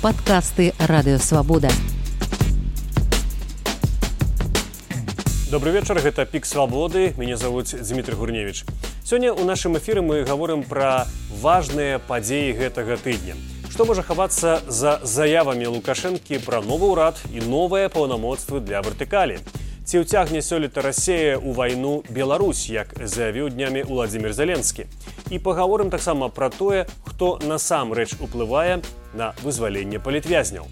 Подкасты «Радио Свобода». Добрый вечер, это «Пік Свободы». Меня зовут Дмитрий Гурневич. Сегодня у нашем эфире мы говорим про важные подеи гэтага тыдня. Что может ховаться за заявами Лукашенко про новый урад и новые полномочия для вертикали? Ці ўцягне сёлета Россия у войну Беларусь, як заявіў днямі Владимир Зеленский. И поговорим таксама про тое, хто насамрэч уплывае на вызваленне палітвязняў.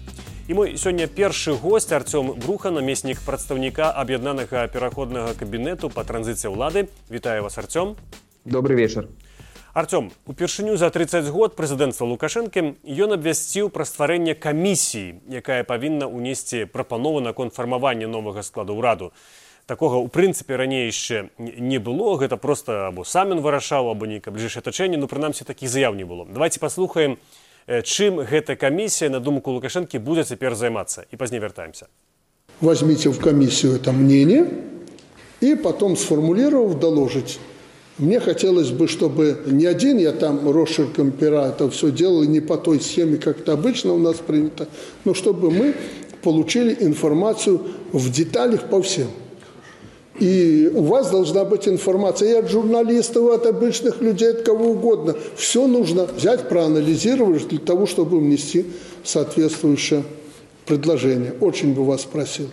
І мой сёння першы госць Артём Бруха, намеснік прадстаўніка аб'яднанага пераходнага кабінету па транзіцыі ўлады. Вітаю вас, Артём. Добрый вечер. Артём, упершыню за 30 год прэзідэнцтва Лукашэнкі ён абвясціў пра стварэнне камісіі, якая павінна ўнесці прапанову наконт фармавання новага складу ўраду. Такога, у прынцыпе, раней яшчэ не было, гэта проста або сам ён вырашаў, або нейкае бліжэйшае атачэнне, прынамсі такіх заяў не было. Давайте паслухаем, чым гэта камісія, на думку Лукашэнкі, будзе цяпер займацца, і пазней вяртаемся. Возьмите в комиссию это мнение и потом, сформулировав, доложить. Мне хотелось бы, чтобы не один я там росчерком пера это все делал, не по той схеме, как это обычно у нас принято, но чтобы мы получили информацию в деталях по всем. И у вас должна быть информация и от журналистов, и от обычных людей, от кого угодно. Все нужно взять, проанализировать для того, чтобы внести соответствующее предложение. Очень бы вас просил.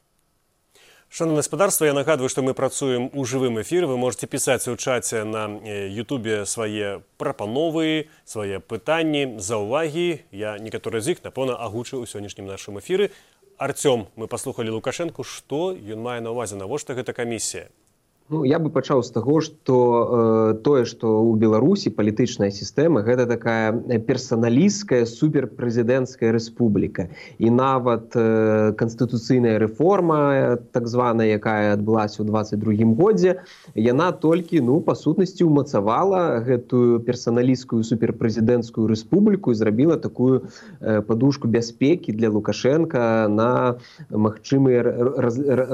Шановне господарство, я нагадую, што мы працуем у жывым эфіры. Вы можете пісаць у чаце на Ютубе свае прапановы, свае пытанні, заўвагі. Я некаторыя з іх, напэўна, агучыў у сённяшнім нашым эфіры. Артём, мы паслухалі Лукашэнку, што ён мае на ўвазе, навошта гэта камісія? Я бы пачаў з таго, што тое, што ў Беларусі палітычная сістэма гэта такая персаналісцкая суперпрэзідэнцкая рэспубліка. І нават канстытуцыйная рэформа, так званая, якая адбылася ў 22-м годзе, яна толькі, па сутнасці, умацавала гэтую персаналісцкую суперпрэзідэнцкую рэспубліку і зрабіла такую падушку бяспекі для Лукашэнка на магчымыя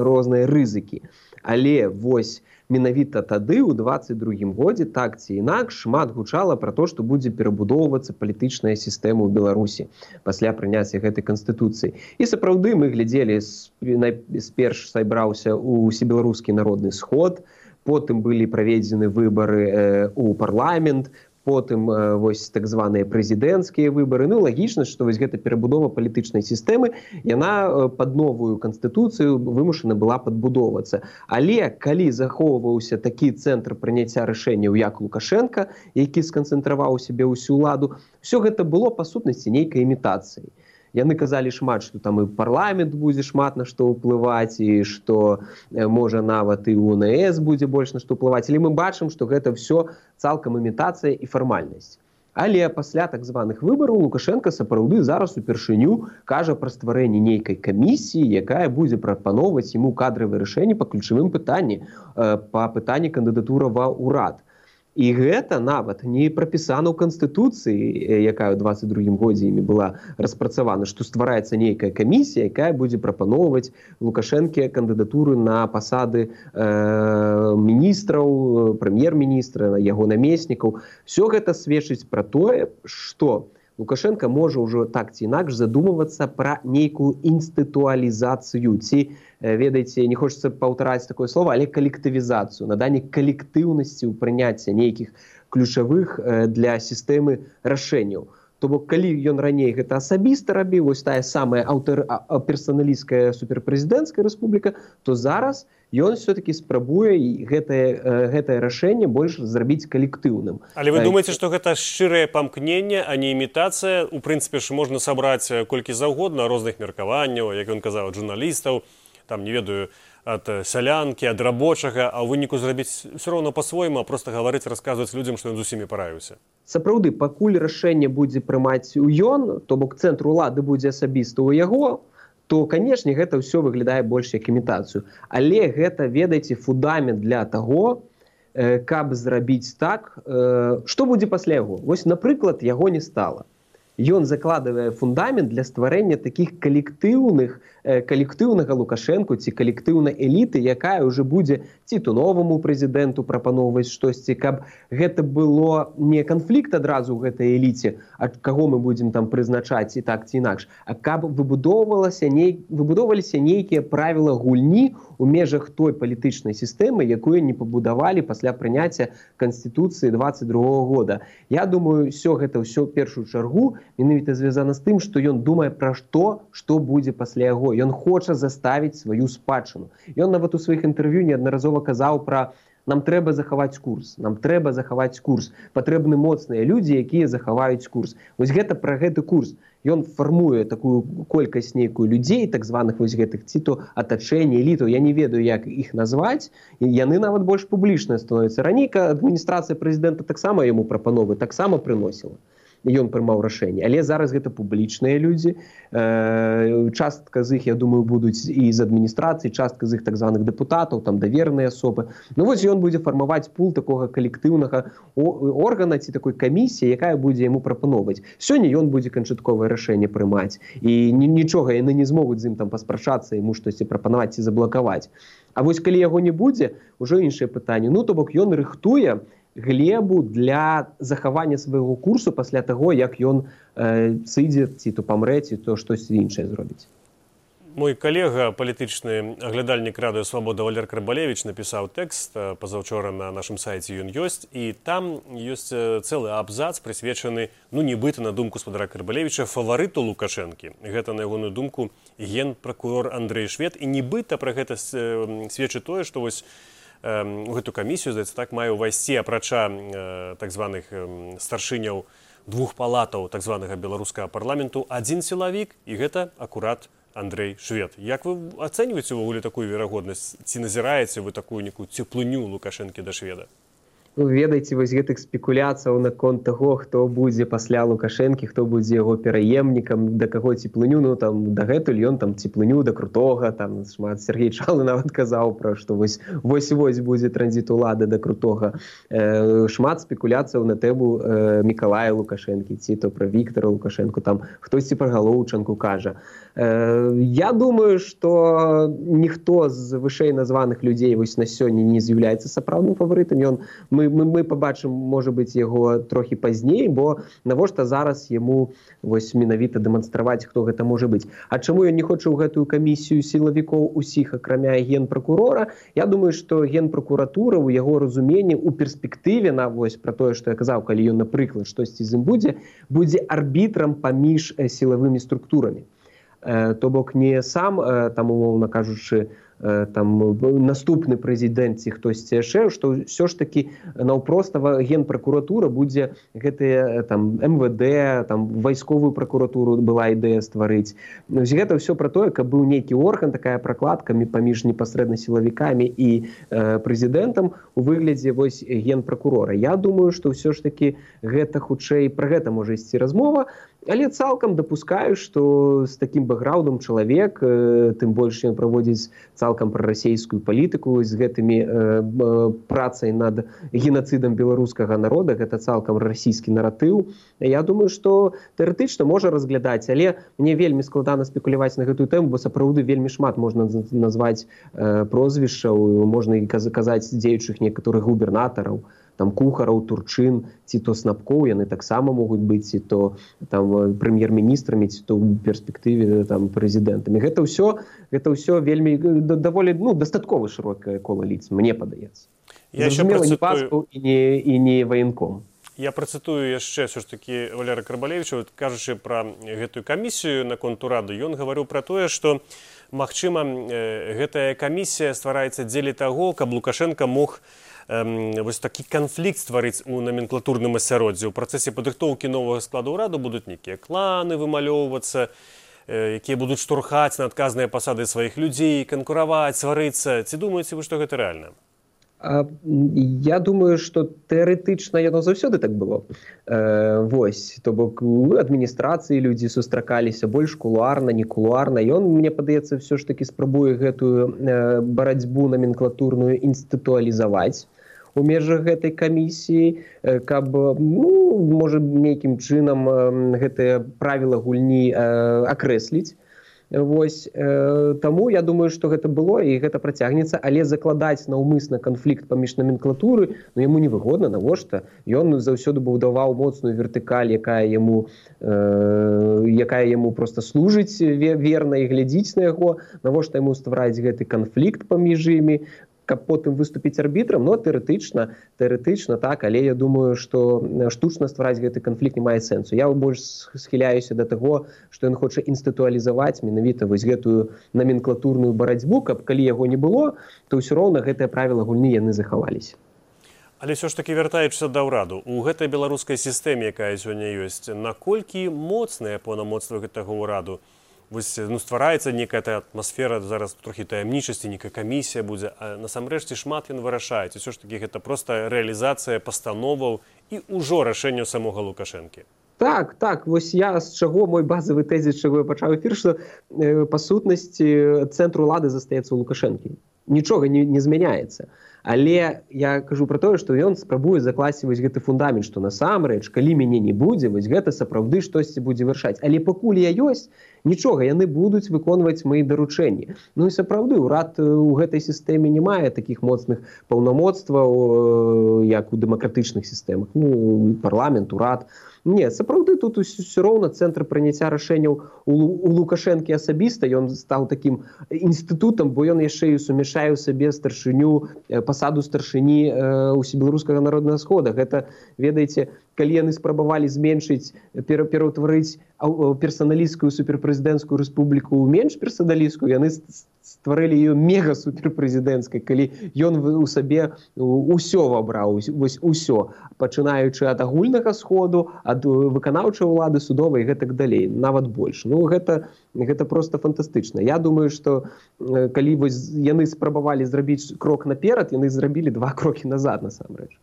розныя рызыкі. Але вось менавіта тады, у 22-м годзе, так ці інакш, шмат гучала пра то, што будзе перабудоўвацца палітычная сістэма ў Беларусі пасля прыняцця гэтай канстытуцыі. І сапраўды мы глядзелі, сперш сайбраўся ўсебеларускі народны сход, потым былі праведзены выбары ў парламент, потым вось так званыя прэзідэнцкія выбары. Лагічна, што вось гэта перабудова палітычнай сістэмы, яна пад новую канстытуцыю вымушана была падбудоўвацца. Але калі захоўваўся такі цэнтр прыняцця рашэнняў, як Лукашенка, які сканцэнтраваў у сябе ўсю ўладу, ўсё гэта было па сутнасці нейкай імітацыі. Яны казалі шмат, што там і парламент будзе шмат на што ўплываць, і што, можа, нават і УНС будзе больш на што ўплываць. Але мы бачым, што гэта ўсё цалкам імітацыя і фармальнасць. Але пасля так званых выбараў Лукашенка сапраўды зараз упершыню кажа пра стварэнне нейкай камісіі, якая будзе прапаноўваць яму кадравыя рашэнні па ключавым пытанні, па пытанні кандыдатура ва ўрад. І гэта нават не прапісана ў Канстытуцыі, якая ў 22-м годзе імі была распрацавана, што ствараецца нейкая камісія, якая будзе прапаноўваць Лукашэнке кандыдатуры на пасады міністраў, прэм'ер-міністра, яго намеснікаў. Усё гэта сведчыць пра тое, што Лукашенко можа ўжо так ці інакш задумвацца пра нейкую інстытуалізацыю, ці, ведаеце, не хочацца паўтараць такое слово, але калектывізацыю, наданне калектыўнасці ў прыняцця нейкіх ключавых для сістэмы рашэнняў. То бок, калі ён раней гэта асабіста рабіў, вось тая самая персаналісцкая суперпрэзідэнцкая рэспубліка, то зараз ён все-таки спрабуе гэтае рашэнне больш зрабіць калектыўным. Але вы думаеце, што гэта шчырае памкненне, а не імітацыя? У прынцыпе ж можна сабраць колькі заўгодна розных меркаванняў, як ён казаў, ад журналістаў, там, не ведаю, ад сялянкі, ад рабочага, а ў выніку зрабіць все роўна па-свойму, а проста гаварыць, расказваць людзям, што ён з усімі параіўся. Сапраўды, пакуль рашэнне будзе прымаць ён, то бок цэнтр улады будзе асабіста ў яго, то, канешне, гэта ўсё выглядае больш як імітацыю. Але гэта, ведаеце, фундамент для таго, каб зрабіць так, што будзе пасля яго. Вось, напрыклад, яго не стала. ён закладывае фундамент для стварэння такіх калектыўнага Лукашэнку ці калектыўнай эліты, якая ўжо будзе ці то новаму прэзідэнту прапаноўваць штосьці, каб гэта было не канфлікт адразу ў гэтай эліце, ад каго мы будзем там прызначаць і так ці інакш, а каб выбудоўваліся нейкія правілы гульні у межах той палітычнай сістэмы, якую не пабудавалі пасля прыняцця Канстытуцыі 22-го года. Я думаю, гэта ўсё в першую чаргу менавіта звязана з тым, што ён думае пра што будзе пасля яго. Ён хоча заставіць сваю спадчыну. Ён нават у сваіх інтэрв'ю неаднаразова казаў пра нам трэба захаваць курс, патрэбны моцныя людзі, якія захаваюць курс. Вось гэта пра гэты курс. Ён фармуе такую колькасць нейкую людзей, так званых вось гэтых ці то атачэння, элітаў, я не ведаю, як іх назваць, яны нават больш публічныя становяцца. Раней адміністрацыя прэзідэнта таксама яму прапановы таксама прыносіла. Ён прымаў рашэнне, але зараз гэта публічныя людзі, частка з іх, я думаю, будуць і з адміністрацыі, частка з іх так званых дэпутатаў, там даверныя асобы. Ну вось ён будзе фармаваць пул такога калектыўнага органа ці такой камісіі, якая будзе яму прапановваць. Сёння ён будзе канчатковае рашэнне прымаць, і нічога яны не змогуць з ім там паспрачацца, яму штосьці прапанаваць ці заблакаваць. А вось калі яго не будзе, ужо іншае пытанне. Ну то бок ён рыхтуе глебу для захавання свайго курсу пасля таго, як ён сыдзе, ці то памрэ, ці то штосьці іншае зробіць. Мой калега, палітычны аглядальнік Радыё Свабода Валер Карбалевіч напісаў тэкст пазаўчора на нашым сайце ён ёсць, і там ёсць цэлы абзац, прысвечаны, нібыта, на думку спадара Карбалевіча, фаварыту Лукашэнкі. Гэта, на ягоную думку, генпракурор Андрэй Швед, і нібыта пра гэта сведчыць тое, што вось у гэту камісію, здаецца, так мае ўвайсці, апрача так званых старшыняў двух палатаў так званага беларускага парламенту, адзін сілавік, і гэта акурат Андрэй Швед. Як вы ацэньваеце ўвогуле такую верагоднасць? Ці назіраеце вы такую некую цеплыню Лукашэнкі да Шведа? Ведаеце, вось гэтых спекуляцыяў наконт таго, хто будзе пасля Лукашэнкі, хто будзе яго пераемнікам, да каго цеплыню, дагэтуль ён там цеплыню да крутога, там шмат Сергей Чалы нават казаў пра, што вось будзе транзіт улады да крутога. Шмат спекуляцыяў на тэму Мікалая Лукашэнкі, ці то пра Віктара Лукашэнку, там хтосьці пра Галоўчанку кажа. Я думаю, што ніхто з вышэй названых людзей вось на сёння не з'яўляецца сапраўдным фаварытам. Мы пабачым, можа быць, яго трохі пазней, бо навошта зараз яму вось менавіта дэманстраваць, хто гэта можа быць. А чаму ён не хоча ў гэтую камісію сілавікоў усіх, акрамя генпракурора? Я думаю, што генпракуратура ў яго разуменні ў перспектыве, вось пра тое, што я казаў, калі ён, напрыклад, штосьці з ім будзе арбітрам паміж сілавымі структурамі. То бок не сам, там, умоўна кажучы, там наступны прэзідэнт ці хтосьці яшчэ, што ўсё ж такі наўпростава генпракуратура будзе гэтыя там МВД, там вайсковую пракуратуру была ідэя стварыць. Гэта ўсё пра тое, каб быў нейкі орган, такая пракладка паміж непасрэдна сілавікамі і прэзідэнтам у выглядзе вось генпракурора. Я думаю, што ўсё ж такі гэта хутчэй пра гэта можа ісці размова, але цалкам дапускаю, што з такім бэкграўндам чалавек, тым больш ён праводзіць цалкам прарасейскую палітыку з гэтымі працай над генацыдам беларускага народа, гэта цалкам расійскі наратыў. Я думаю, што тэарэтычна можа разглядаць, але мне вельмі складана спекуляваць на гэтую тэму, бо сапраўды вельмі шмат можна назваць прозвішчаў, можна і казаць дзеючых некаторых губернатараў, там Кухараў, Турчын, ці то Снапкоў, яны таксама могуць быць, ці то там прэм'ер-міністрамі, ці то ў перспектыве там прэзідэнтамі. Гэта ўсё вельмі даволі дастаткова шырокае кола лиц, мне падаецца. Зразумела, не паспаў і не ваенком. Я працытую яшчэ ўсё ж такі Валера Карбалевіча, кажучы пра гэтую камісію наконт урады, ён гаварыў пра тое, што магчыма, гэтая камісія ствараецца дзеля таго, каб Лукашенко мог вось такі канфлікт стварыць у наменклатурным асяроддзі. У працэсе падрыхтоўкі новага складу ўраду будуць нейкія кланы вымалёўвацца, якія будуць штурхаць на адказныя пасады сваіх людзей, канкураваць, сварыцца. Ці думаеце вы, што гэта рэальна? Я думаю, што тэарэтычна яно заўсёды так было. Вось, то бок у адміністрацыі людзі сустракаліся больш кулуарна, не кулуарна. Ён, мне падаецца, ўсё ж такі спрабуе гэтую барацьбу наменклатурную інстытуалізаваць. у межах гэтай камісіі, каб, можа, нейкім чынам гэтыя правілы гульні акрэсліць. Вось, таму я думаю, што гэта было і гэта працягнецца, але закладаць наўмысна канфлікт паміж номенклатуры, яму невыгодна, навошта? Ён заўсёды будаваў моцную вертыкаль, якая яму проста служыць верна і глядзіць на яго, навошта яму ствараць гэты канфлікт паміж імі, каб потым выступіць арбітрам, тэарэтычна так, але я думаю, што штучна ствараць гэты канфлікт не мае сэнсу. Я больш схіляюся да таго, што ён хоча інстытуалізаваць менавіта вось гэтую номенклатурную барацьбу, каб калі яго не было, то ўсё роўна гэтыя правілы гульні яны захаваліся. Але ўсё ж такі, вяртаючыся да ўраду, у гэтай беларускай сістэме, якая сёння ёсць, наколькі моцныя паўнамоцтвы гэтага ўраду? Вось, ствараецца некая атмасфера зараз трохі таямнічасці, некая камісія будзе, а насамрэч ці шмат ён вырашае, ці ўсё ж такі гэта проста рэалізацыя пастановаў і ўжо рашэнняў самога Лукашэнкі? Так, вось я з чаго мой базавы тэзіс, з чаго я пачаў эфір, што па сутнасці цэнтр улады застаецца ў Лукашэнкі. Нічога не змяняецца. Але я кажу пра тое, што ён спрабуе закласці вось гэты фундамент, што насамрэч, калі мяне не будзе, вось гэта сапраўды штосьці будзе вырашаць. Але пакуль я ёсць, нічога, яны будуць выконваць мои даручэнні. І сапраўды, урад у гэтай сістэме не мае такіх моцных паўнамоцтваў, як у дэмакратычных сістэмах. Парламент, урад. Не, сапраўды тут усё роўна цэнтр прыняцця рашэнняў у Лукашэнкі асабіста, ён стаў такім інстытутам, бо ён яшчэ і сумяшае ў сабе пасаду старшыні Усебеларускага народнага схода. Гэта, ведаеце, калі яны спрабавалі зменшыць, пераўтварыць персаналісцкую суперпрэзідэнцкую рэспубліку ў менш персаналісцкую, яны стварылі ее мега-суперпрэзідэнцкай, калі ён у сабе ўсё вабраў, вось усё, пачынаючы ад агульнага сходу, ад выканаўчай улады, судовай і гэтак далей, нават больш. Гэта проста фантастычна. Я думаю, што калі яны спрабавалі зрабіць крок наперад, яны зрабілі 2 крокі назад, насамрэч.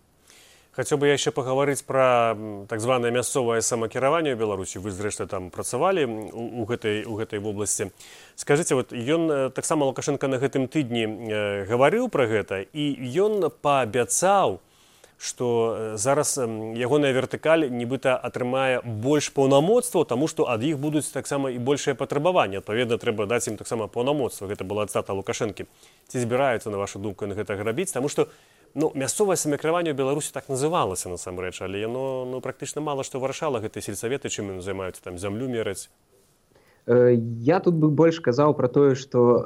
Хацеў бы я яшчэ пагаварыць пра так званае мясцовае самакіраванне ў Беларусі. Вы, зрэшты, там працавалі у гэтай вобласці. Скажыце, ён таксама Лукашенко на гэтым тыдні гаварыў пра гэта, і ён паабяцаў, што зараз ягоная вертыкаль нібыта атрымае больш паўнамоцтваў, таму што ад іх будуць таксама і большыя патрабаванні. Адпаведна, трэба даць ім таксама паўнамоцтва. Гэта была цытата Лукашэнкі. Ці збіраюцца, на вашу думку, на гэта рабіць? Таму што мясцовае самакіраванне ў Беларусі так называлася насамрэч, але яно практычна мала што вырашала гэтыя сельсаветы, чым яны займаюцца, там зямлю мераць. Я тут бы больш казаў пра тое, што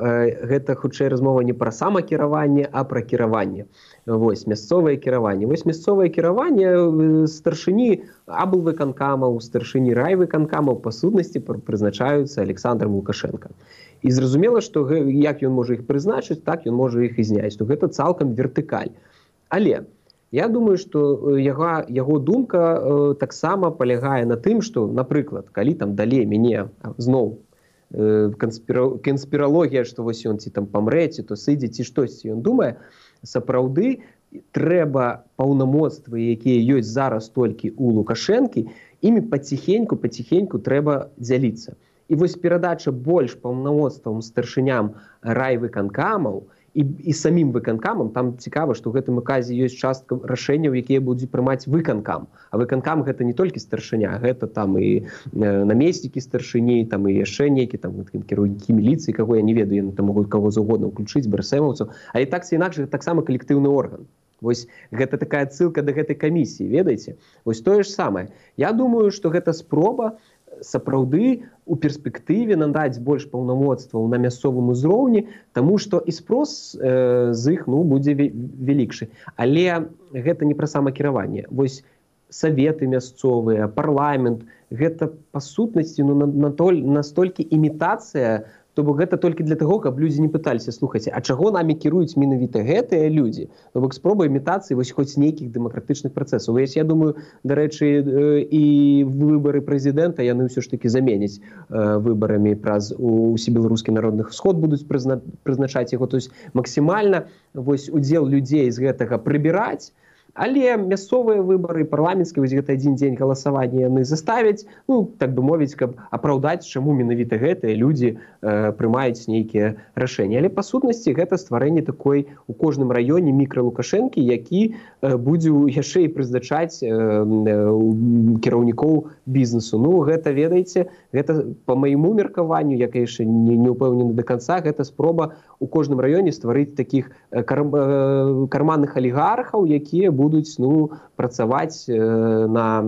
гэта хутчэй размова не пра самакіраванне, а пра кіраванне. Вось, мясцовае кіраванне. Вось мясцовае кіраванне старшыні аблвыканкамаў, старшыні райвыканкамаў па сутнасці прызначаюцца Александром Лукашенко. І зразумела, што як ён можа іх прызначыць, так ён можа іх і зняць. То гэта цалкам вертыкаль. Але я думаю, што яго думка таксама палягае на тым, што, напрыклад, калі там далей мяне зноў канспіралогія, што вось ён ці там памрэ, ці то сыдзе, ці штосьці ён думае, сапраўды трэба паўнамоцтвы, якія ёсць зараз толькі ў Лукашэнкі, імі паціхеньку трэба дзяліцца. І вось перадача больш паўнамоцтвам старшыням райвыканкамаў і самім выканкамам, там цікава, што ў гэтым указе ёсць частка рашэнняў, якія будуць прымаць выканкам. А выканкам гэта не толькі старшыня, гэта там і намеснікі старшыні, там і яшчэ нейкі там кіраўнікі міліцыі, каго я не ведаю, яны там могуць каго заўгодна ўключыць, брэсэмаўцаў, але так ці інакш гэта таксама калектыўны орган. Вось гэта такая адсылка да гэтай камісіі, ведаеце? Вось тое ж самае. Я думаю, што гэта спроба сапраўды у перспектыве надаць больш паўнамоцтваў на мясцовым узроўні, таму што і спрос з іх будзе вялікшы. Але гэта не пра самакіраванне. Вось саветы мясцовыя, парламент, гэта па сутнасці настолькі імітацыя, то бок гэта толькі для таго, каб людзі не пыталіся, слухайце, а чаго намі кіруюць менавіта гэтыя людзі? То бок спроба імітацыі вось хоць нейкіх дэмакратычных працэсаў. Я думаю, дарэчы, і выбары прэзідэнта яны ўсё ж такі заменяць выбарамі праз Усебеларускі народны сход будуць прызначаць яго. То есть максімальна вось удзел людзей з гэтага прыбіраць, Але мясцовыя выбары, парламенцкія, вось гэта адзін дзень галасавання яны заставяць, ну, так бы мовіць, каб апраўдаць, чаму менавіта гэтыя людзі прымаюць нейкія рашэнні. Але па сутнасці гэта стварэнне такой у кожным раёне мікралукашэнкі, які будзе яшчэ і прызначаць кіраўнікоў бізнесу. Ну, гэта, ведаеце, гэта па майму меркаванню, я, конечно, не ўпэўнены до конца, гэта спроба у кожным раёне стварыць такіх карманных алігархаў, якія будуць, ну, працаваць на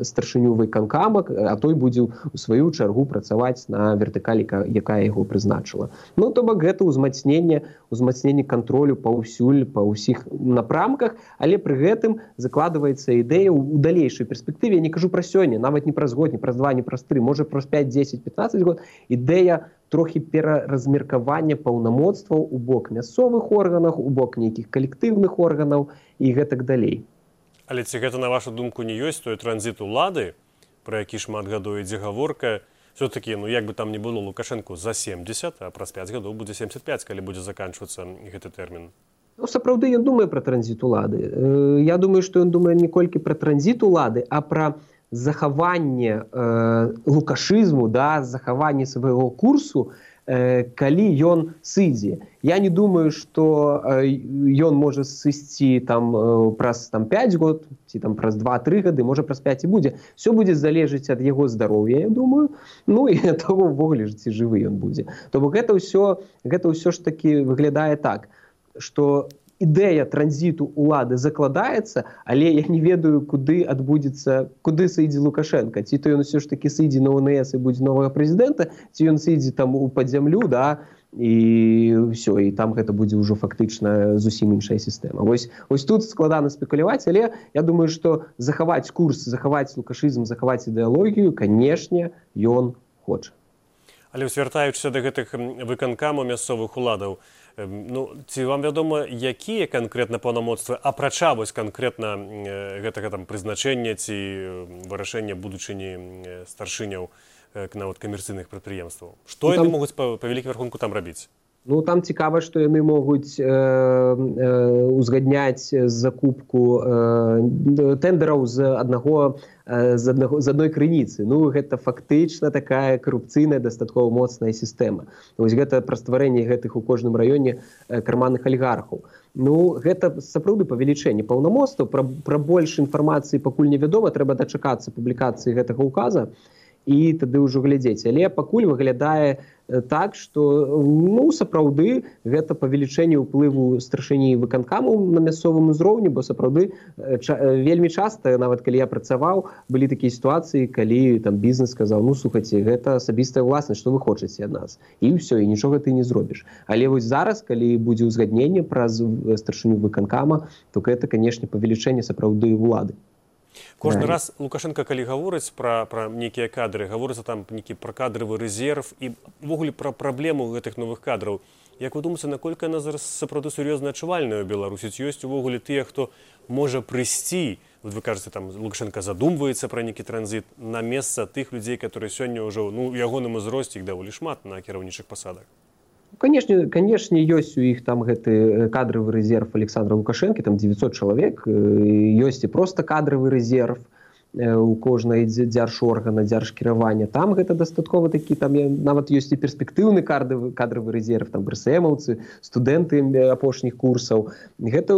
старшыню выканкама, а той будзе у сваю чаргу працаваць на вертыкалі, якая яго прызначыла. Ну, то бок гэта ўзмацненне кантролю паўсюль, па ўсіх напрамках, але пры гэтым закладваецца ідэя ў далейшай перспектыве, я не кажу пра сёння, нават не праз год, не праз 2, не праз 3, можа праз 5, 10, 15 год, ідэя трохі пераразмеркавання паўнамоцтваў у бок мясцовых органаў, у бок нейкіх калектыўных органаў і гэтак далей. Але ці гэта, на вашу думку, не ёсць той транзіт улады, пра які шмат гадоў ідзе гаворка? Все-таки, ну, як бы там не было, Лукашенко за 70, а праз 5 гадоў будзе 75, калі будзе заканчвацца гэты тэрмін. Ну, сапраўды ён думае пра транзіт улады. Я думаю, што ён думае не колькі пра транзіт улады, а пра захаванне лукашызму, да, захаванне свайго курсу, калі ён сыдзе. Я не думаю, што ён можа сысці там праз 5 год, ці там праз 2-3 гады, можа праз 5 і будзе. Все будзе залежыць ад яго здароўя, я думаю, ну і ад таго ўвогуле, ці жывы ён будзе. То бок гэта ўсё ж такі выглядае так, што ідэя транзіту улады закладаецца, але я не ведаю, куды адбудзецца, куды сыдзе Лукашенко. Ці то ён усё ж такі сыдзе на ОНС і будзе новага прэзідэнта, ці ён сыдзе там у пад зямлю, да, і ўсё, і там гэта будзе ўжо фактычна зусім іншая сістэма. Вось тут складана спекуляваць, але я думаю, што захаваць курс, захаваць лукашызм, захаваць ідэалогію, канешне, ён хоча. Але звяртаючыся да гэтых выканкамаў мясцовых уладаў, ну, ці вам вядома, якія канкрэтна паўнамоцтвы, апрача вось канкрэтна гэтага там прызначэння ці вырашэння будучыні старшыняў нават камерцыйных прадпрыемстваў? Што яны могуць па вялікім рахунку там рабіць? Ну, там цікава, што яны могуць узгадняць закупку тендераў з адной крыніцы. Ну, гэта фактычна такая карупцыйная, дастаткова моцная сістэма. Вось гэта пра стварэнне гэтых у кожным раёне карманных алігархаў. Ну, гэта сапраўды павелічэнне паўнамоцтваў. Пра больш інфармацыі пакуль невядома, трэба дачакацца публікацыі гэтага указа і тады ўжо глядзець. Але пакуль выглядае так, што, ну, сапраўды гэта павелічэнне ўплыву старшыні выканкаму на мясцовым узроўні, бо сапраўды вельмі часта, нават калі я працаваў, былі такія сітуацыі, калі там бізнес сказаў: ну, слухайце, гэта асабістая ўласнасць, што вы хочаце ад нас? І ўсё, і нічога ты не зробіш. Але вось зараз, калі будзе ўзгадненне праз старшыню выканкама, то гэта, канешне, павелічэнне сапраўды ўлады. Кожны раз Лукашенко, калі гаворыць пра нейкія кадры, гаворыцца там пра кадравы рэзерв і ўвогуле пра праблему гэтых новых кадраў. Як вы думаеце, наколькі яна зараз сапраўды сур'ёзна адчувальная ў Беларусі? Ці ёсць увогуле тыя, хто можа прыйсці, вы кажаце, там Лукашенко задумваецца пра нейкі транзіт, на месца тых людзей, которые сёння ўжо, ну, у ягоным узросце іх даволі шмат на кіраўнічых пасадах? Канешне, ёсць у іх там гэты кадравы рэзерв Александра Лукашэнкі, там 900 чалавек, ёсць і проста кадравы рэзерв у кожнай дзяржоргана, дзяржкіравання. Там гэта дастаткова такі, там нават ёсць і перспектыўны кадравы рэзерв, там брэсэмаўцы, студэнты апошніх курсаў. Гэта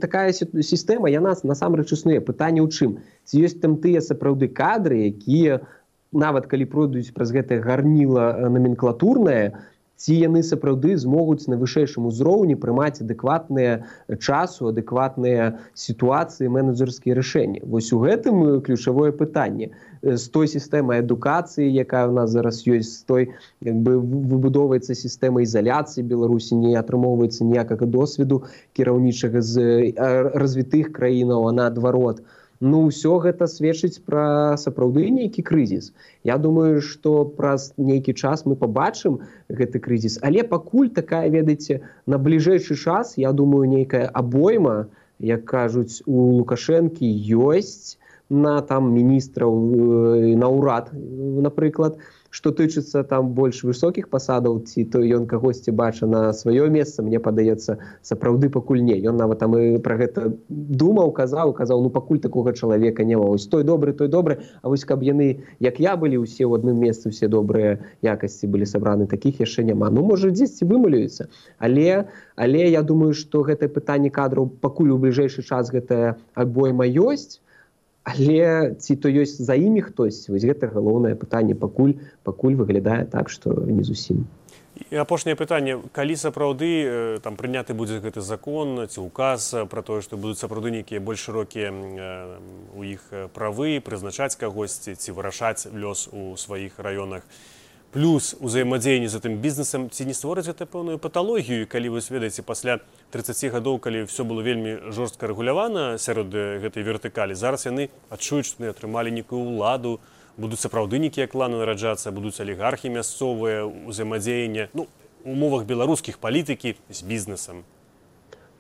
такая сістэма, яна насамрэч існуе. Пытанне ў чым? Ці ёсць там тыя сапраўды кадры, якія, нават калі пройдуць праз гэтае гарніла номенклатурнае, ці яны сапраўды змогуць на вышэйшым узроўні прымаць адэкватныя часу, адэкватныя сітуацыі, менеджерскія рашэнні. Вось у гэтым ключавое пытанне. З той сістэмай адукацыі, якая ў нас зараз ёсць, з той, як бы, выбудоўваецца сістэма ізаляцыі Беларусі, не атрымоўваецца ніякага досведу кіраўнічага з развітых краінаў, а наадварот. Ну, ўсё гэта сведчыць пра сапраўды нейкі крызіс. Я думаю, што праз нейкі час мы пабачым гэты крызіс. Але пакуль такая, ведаеце, на бліжэйшы час, я думаю, нейкая абойма, як кажуць, у Лукашэнкі ёсць на там міністраў, на ўрад напрыклад, што тычыцца там больш высокіх пасадаў, ці то ён кагосьці бача на сваё месца, мне падаецца, сапраўды пакуль не. Ён нават там і пра гэта думаў, казаў, ну пакуль такога чалавека няма. Вось той добры, а вось каб яны, як я, былі ўсе ў адным месцы, ўсе добрыя якасці былі сабраны, такіх яшчэ няма. Ну, можа, дзесьці вымалюецца, але я думаю, што гэтае пытанне кадраў пакуль у бліжэйшы час гэтая абойма ёсць, але ці то ёсць за імі хтось, вось гэта галоўнае пытанне пакуль выглядае так, што не зусім. І апошняе пытанне, калі сапраўды там прыняты будзе гэты закон ці указ пра тое, што будуць сапраўды нейкія больш шырокія у іх правы, прызначаць кагосьці ці вырашаць лёс у сваіх раёнах, плюс узаемадзеянне з гэтым бізнесам, ці не створыць гэта пэўную паталогію, калі вы ведаеце, пасля 30 гадоў, калі ўсё было вельмі жорстка рэгулявана сярод гэтай вертыкалі, зараз яны адчуюць, што яны атрымалі нейкую ўладу, будуць сапраўды нейкія кланы нараджацца, будуць алігархі мясцовыя, узаемадзеянне, ну, у умовах беларускіх палітыкі з бізнесам.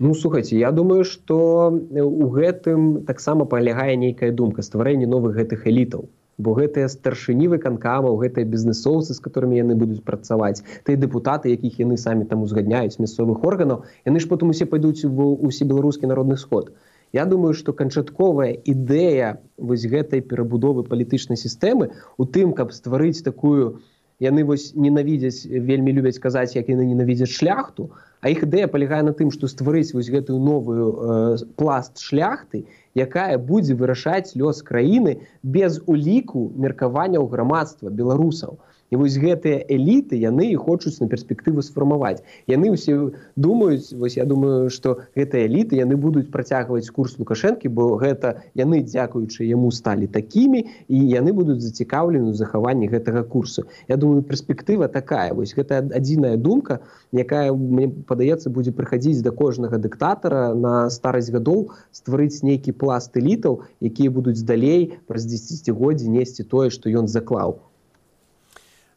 Ну, слухайце, я думаю, што у гэтым таксама палягае нейкая думка, стварэнне новых гэтых элітаў. Бо гэтыя старшыні выканкамаў, гэтыя бізнесоўцы, з которымі яны будуць працаваць, тыя дэпутаты, якіх яны самі там узгадняюць мясцовых органаў, яны ж потым усе пойдуць у усебеларускі народны сход. Я думаю, што канчатковая ідэя вось гэтай перабудовы палітычнай сістэмы у тым, каб стварыць такую, яны вось ненавідзяць, вельмі любяць казаць, як яны ненавідзяць шляхту, а іх ідэя палягае на тым, што стварыць вось гэтую новую пласт шляхты, якая будзе вырашаць лёс краіны без уліку меркаванняў грамадства беларусаў. І вось гэтыя эліты, яны і хочуць на перспектыву сфармаваць. Яны ўсе думаюць, вось я думаю, што гэтыя эліты, яны будуць працягваць курс Лукашэнкі, бо гэта яны, дзякуючы яму, сталі такімі, і яны будуць зацікаўлены ў захаванні гэтага курсу. Я думаю, перспектыва такая. Вось гэта адзіная думка, якая, мне падаецца, будзе прыхадзіць да кожнага дыктатара на старасць гадоў, стварыць нейкі пласт элітаў, якія будуць далей праз дзесяцігоддзі несці тое, што ён заклаў.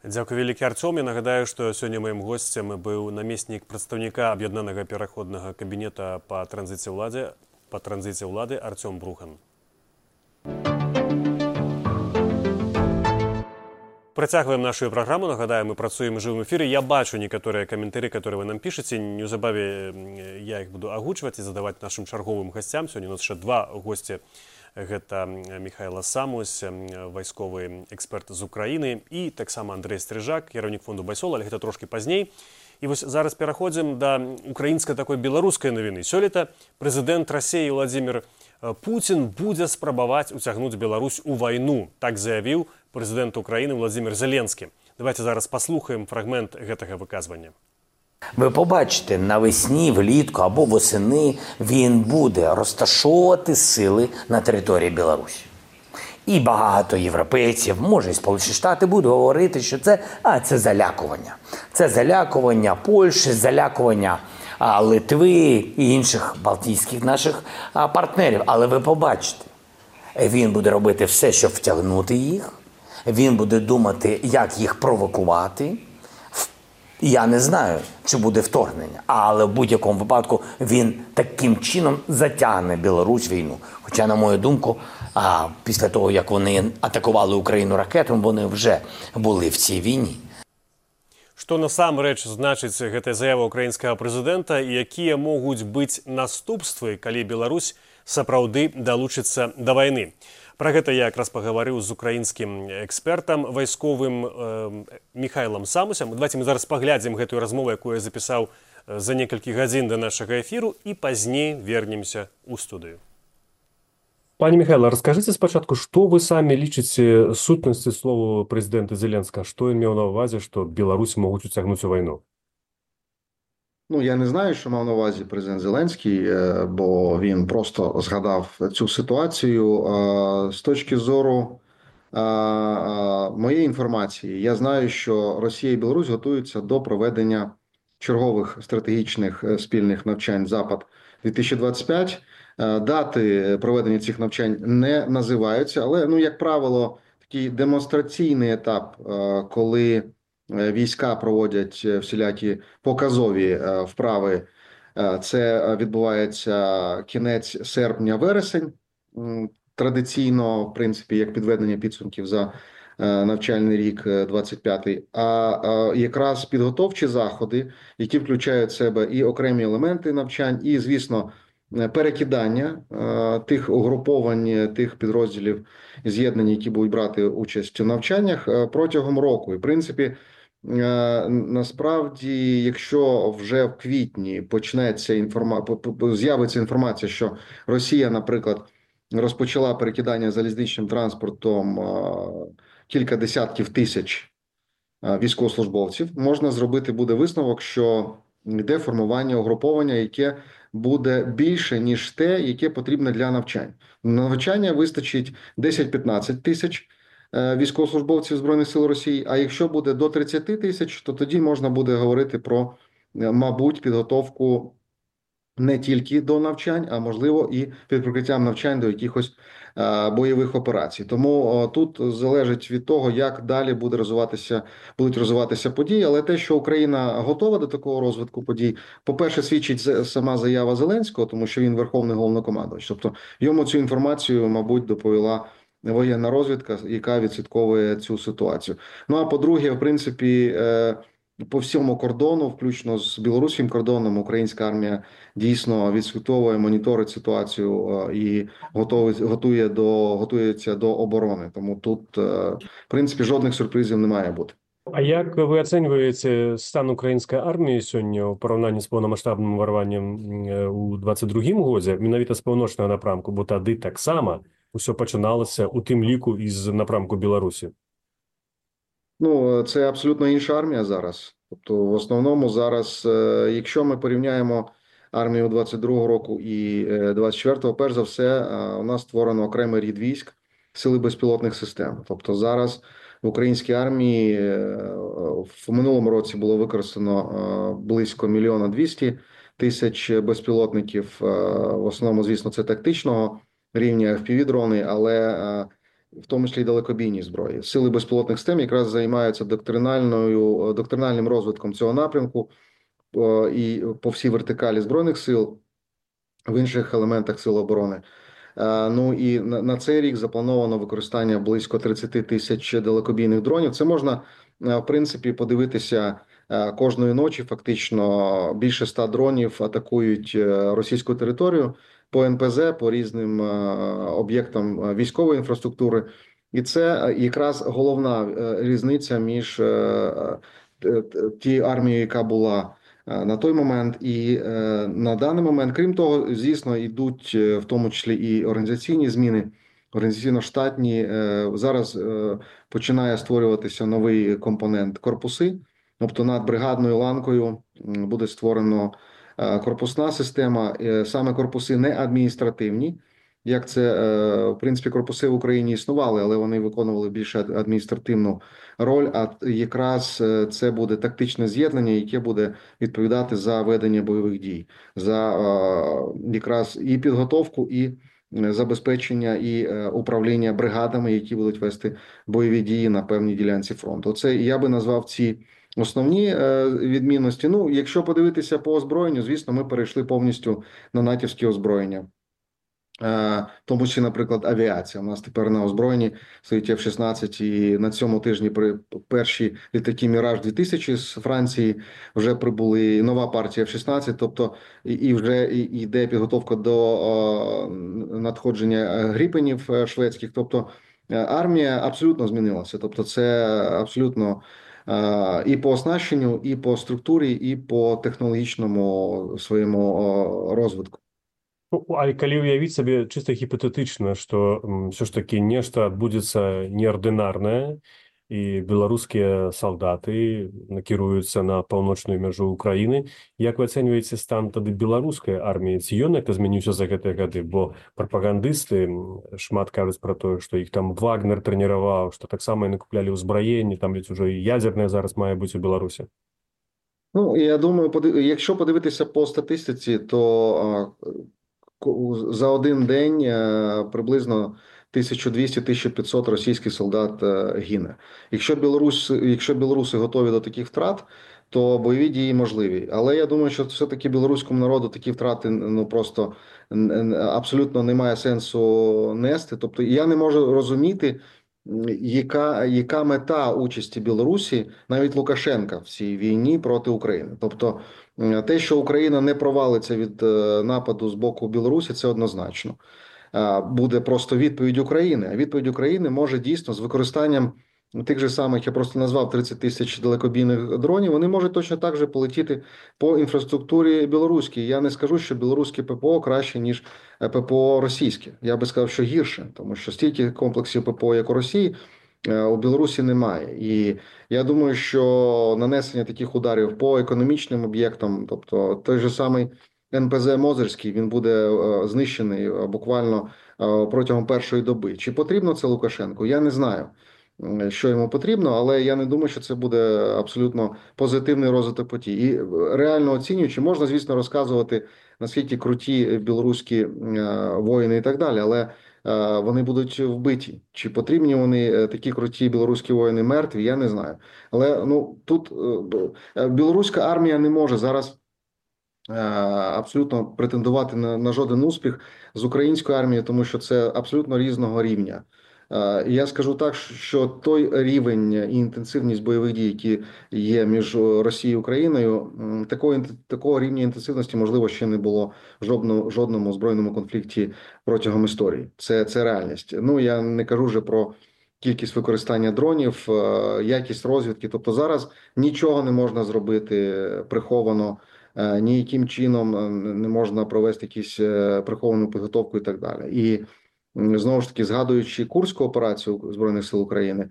Дзякуй вялікі, Арцём. Я нагадаю, што сёння маім госцем быў намеснік прадстаўніка аб'яднанага пераходнага кабінета па транзіце ўлады Арцём Брухан. Працягваем нашу праграму. Нагадаю, мы працуем у жывым эфіры. Я бачу некаторыя каментары, которые вы нам пішаце. Неўзабаве я іх буду агучваць і задаваць нашым чарговым гасцям. Сёння у нас яшчэ два госці. Гэта Михайло Самусь, вайсковы эксперт з Украіны, і таксама Андрэй Стрыжак, кіраўнік фонду Байсол, але гэта трошкі пазней. І вось зараз пераходзім да украінскай такой беларускай навіны. Сёлета прэзідэнт Расіі Владзімір Пуцін будзе спрабаваць уцягнуць Беларусь у вайну. Так заявіў прэзідэнт Украіны Владзімір Зеленскі. Давайте зараз паслухаем фрагмент гэтага выказвання. Ви побачите, навесні, влітку або восени він буде розташовувати сили на території Білорусі. І багато європейців, може і Сполучені Штати, будуть говорити, що це залякування. Це залякування Польщі, залякування Литви і інших балтійських наших партнерів. Але ви побачите, він буде робити все, щоб втягнути їх. Він буде думати, як їх провокувати. Я не знаю, чи буде вторгнення, але в будь-якому випадку він таким чином затягне Білорусь в війну. Хоча, на мою думку, після того, як вони атакували Україну ракетами, вони вже були в цій війні. Што насамрэч значыць гэтая заява украінскага прэзідэнта і якія могуць быць наступствы, калі Беларусь сапраўды далучыцца да вайны? Пра гэта я якраз пагаварыў з украінскім экспертам вайсковым Михайлом Самусем. Давайте мы зараз паглядзім гэтую размову, якую я запісаў за некалькі гадзін да нашага эфіру, і пазней вернемся ў студыю. Пане Михайло, расскажите спачатку, што вы самі лічыце сутнасці слова прэзідэнта Зеленскага? Што ён меў на ўвазе, што Беларусь могуць уцягнуць у вайну? Ну, я не знаю, що мав на увазі президент Зеленський, бо він просто згадав цю ситуацію. З точки зору моєї інформації, я знаю, що Росія і Білорусь готуються до проведення чергових стратегічних спільних навчань «Запад-2025». Дати проведення цих навчань не називаються, але, як правило, такий демонстраційний етап, коли війська проводять всілякі показові вправи. Це відбувається кінець серпня-вересень. Традиційно, в принципі, як підведення підсумків за навчальний рік 25-й, а якраз підготовчі заходи, які включають в себе і окремі елементи навчань, і, звісно, перекидання тих угруповань, тих підрозділів з'єднань, які будуть брати участь у навчаннях протягом року. І, в принципі, насправді, якщо вже в квітні з'явиться інформація, що Росія, наприклад, розпочала перекидання залізничним транспортом кілька десятків тисяч військовослужбовців, можна зробити буде висновок, що йде формування угруповання, яке буде більше, ніж те, яке потрібно для навчань. На навчання вистачить 10-15 тисяч військовослужбовців Збройних сил Росії, а якщо буде до 30 тисяч, то тоді можна буде говорити про, мабуть, підготовку не тільки до навчань, а можливо і під прикриттям навчань до якихось бойових операцій. Тому тут залежить від того, як далі будуть розвиватися події. Але те, що Україна готова до такого розвитку подій, по-перше, свідчить сама заява Зеленського, тому що він верховний головнокомандувач. Тобто йому цю інформацію, мабуть, доповіла воєнна розвідка, яка відслідковує цю ситуацію. Ну а по-друге, в принципі, по всьому кордону, включно з білоруським кордоном, українська армія дійсно відслідковує, моніторить ситуацію і готується до оборони. Тому тут, в принципі, жодних сюрпризів не має бути. А як ви оцінюєте стан української армії сьогодні у порівнянні з повномасштабним уварванням у 22-му годі, менавіта з півночного напрямку, бо тоді так само усе починалося у тим ліку із напрямку Білорусі? Ну, це абсолютно інша армія зараз. Тобто, в основному зараз, якщо ми порівняємо армію 22-го року і 24-го, перш за все, у нас створено окремий рід військ Сили безпілотних систем. Тобто зараз в українській армії в минулому році було використано близько 1 200 000 безпілотників. В основному, звісно, це тактичного рівня FPV-дрони, але в тому числі й далекобійні зброї. Сили безпілотних систем якраз займаються доктринальним розвитком цього напрямку і по всій вертикалі Збройних сил, в інших елементах сил оборони. Ну і на цей рік заплановано використання близько 30 000 далекобійних дронів. Це можна, в принципі, подивитися кожної ночі. Фактично більше 100 дронів атакують російську територію по НПЗ, по різним об'єктам військової інфраструктури. І це якраз головна різниця між тією армією, яка була на той момент і на даний момент. Крім того, звісно, йдуть в тому числі і організаційні зміни, організаційно-штатні. Зараз починає створюватися новий компонент корпуси, тобто над бригадною ланкою буде створено корпусна система, саме корпуси не адміністративні, як це, в принципі, корпуси в Україні існували, але вони виконували більше адміністративну роль, а якраз це буде тактичне з'єднання, яке буде відповідати за ведення бойових дій, за якраз і підготовку, і забезпечення, і управління бригадами, які будуть вести бойові дії на певній ділянці фронту. Це я би назвав ці основні відмінності. Ну, якщо подивитися по озброєнню, звісно, ми перейшли повністю на натівське озброєння. В тому числі, наприклад, авіація. У нас тепер на озброєнні стоїть F-16, і на цьому тижні перші літаки «Міраж-2000» з Франції вже прибули, нова партія F-16, тобто і вже йде підготовка до надходження гріпенів шведських. Тобто армія абсолютно змінилася. Тобто це абсолютно і по оснащенню, і по структурі, і по технологічному своєму розвитку. Ну, а калі уявіць сабе чыста гіпатэтычна, што ўсё ж такі нешта адбудзецца неардынарнае і беларускія салдаты накіруюцца на паўночную мяжу Украіны, як вы ацэньваеце стан тады беларускай арміі? Ці ён як змяніўся за гэтыя гады? Бо прапагандысты шмат кажуць пра тое, што іх там Вагнер трэніраваў, што таксама і накуплялі ўзбраенне, там ведь уже і ядзернае зараз мае быць у Беларусі. Ну, я думаю, якщо подивитися по статистиці, то за один день приблизно 1200-1500 російських солдат гине. Якщо білоруси готові до таких втрат, то бойові дії можливі. Але я думаю, що все-таки білоруському народу такі втрати просто абсолютно немає сенсу нести. Тобто я не можу розуміти, яка мета участі Білорусі, навіть Лукашенка, в цій війні проти України. Тобто те, що Україна не провалиться від нападу з боку Білорусі, це однозначно. Буде просто відповідь України. А відповідь України може дійсно з використанням тих же самих, я просто назвав 30 тисяч далекобійних дронів, вони можуть точно так же полетіти по інфраструктурі білоруській. Я не скажу, що білоруське ППО краще, ніж ППО російське. Я би сказав, що гірше, тому що стільки комплексів ППО, як у Росії, у Білорусі немає. І я думаю, що нанесення таких ударів по економічним об'єктам, тобто той же самий НПЗ Мозирський, він буде знищений буквально протягом першої доби. Чи потрібно це Лукашенку? Я не знаю, що йому потрібно, але я не думаю, що це буде абсолютно позитивний розвиток подій. І реально оцінюючи, можна, звісно, розказувати, наскільки круті білоруські воїни і так далі, але вони будуть вбиті. Чи потрібні вони такі круті білоруські воїни мертві, я не знаю. Але тут білоруська армія не може зараз абсолютно претендувати на жоден успіх з українською армією, тому що це абсолютно різного рівня. І я скажу так, що той рівень і інтенсивність бойових дій, які є між Росією і Україною, такого рівня інтенсивності, можливо, ще не було в жодному збройному конфлікті протягом історії. Це реальність. Я не кажу вже про кількість використання дронів, якість розвідки. Тобто зараз нічого не можна зробити приховано, ніяким чином не можна провести якусь приховану підготовку і так далі. І знову ж таки, згадуючи Курську операцію Збройних сил України,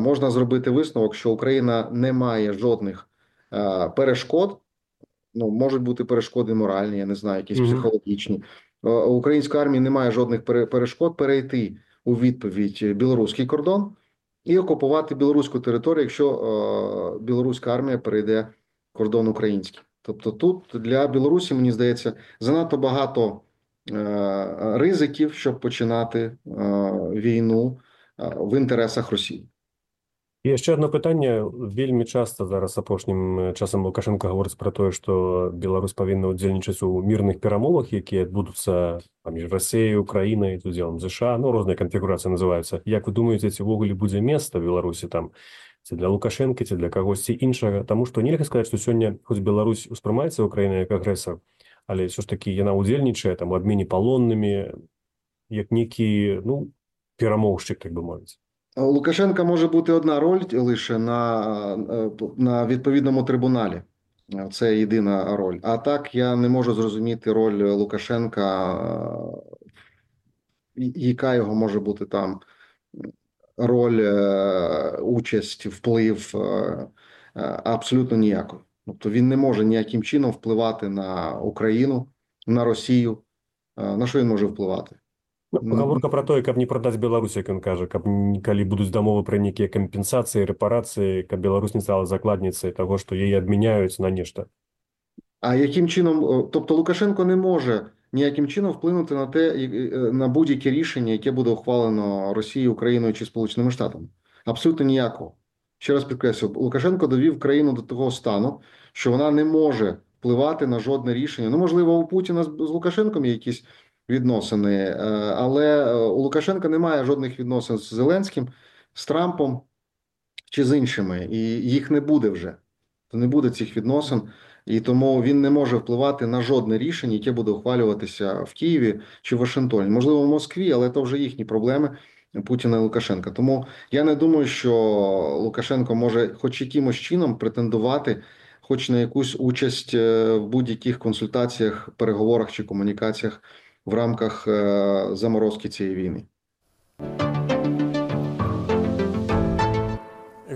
можна зробити висновок, що Україна не має жодних перешкод, можуть бути перешкоди моральні, я не знаю, якісь психологічні. У української армії немає жодних перешкод перейти у відповідь білоруський кордон і окупувати білоруську територію, якщо білоруська армія перейде кордон український. Тобто тут для Білорусі, мені здається, занадто багато ризиків, щоб починати війну в інтересах Росії. І яшчэ одно пытанне. Вельмі часта зараз апошнім часам Лукашенко гаворыць пра тое, што Беларусь павінна ўдзельнічаць у мірных перамовах, якія адбудуцца паміж Расіяй, Украінай, з удзелам США, розныя канфігурацыі называюцца. Як вы думаеце, ці ўвогуле будзе месца Беларусі там, ці для Лукашенка, ці для кагосьці іншага? Таму што нельга сказаць, што сёння хоць Беларусь успрымаецца Украінай як агрэсар, але ўсё ж такі яна ўдзельнічае там у абмене палоннымі, як нейкі, перамоўшчык, так бы мовіць. У Лукашенка може бути одна роль лише на відповідному трибуналі. Це єдина роль. А так я не можу зрозуміти роль Лукашенка, яка його може бути там роль, участь, вплив, абсолютно ніякої. Тобто він не може ніяким чином впливати на Україну, на Росію. На що він може впливати? Гаворка пра тое, каб не прадаць Беларусь, як ён кажа, каб калі будуць дамовы пра нейкія кампенсацыі, рэпарацыі, каб Беларусь не стала закладніцай таго, што яе абмяняюць на нешта. А яким чином, тобто Лукашенко не може ніяким чином вплинути на будь-яке рішення, яке буде ухвалено Росією, Україною чи Сполученими Штатами? Абсолютно ніякого. Ще раз підкреслю, Лукашенко довів країну до того стану, що вона не може впливати на жодне рішення. Можливо, у Путіна з Лукашенком є якісь відносини, але у Лукашенка немає жодних відносин з Зеленським, з Трампом чи з іншими, і їх не буде вже. То не буде цих відносин, і тому він не може впливати на жодне рішення, яке буде ухвалюватися в Києві чи в Вашингтоні. Можливо, в Москві, але це вже їхні проблеми Путіна і Лукашенка. Тому я не думаю, що Лукашенко може хоч якимось чином претендувати хоч на якусь участь в будь-яких консультаціях, переговорах чи комунікаціях в рамках заморозки цієї війни.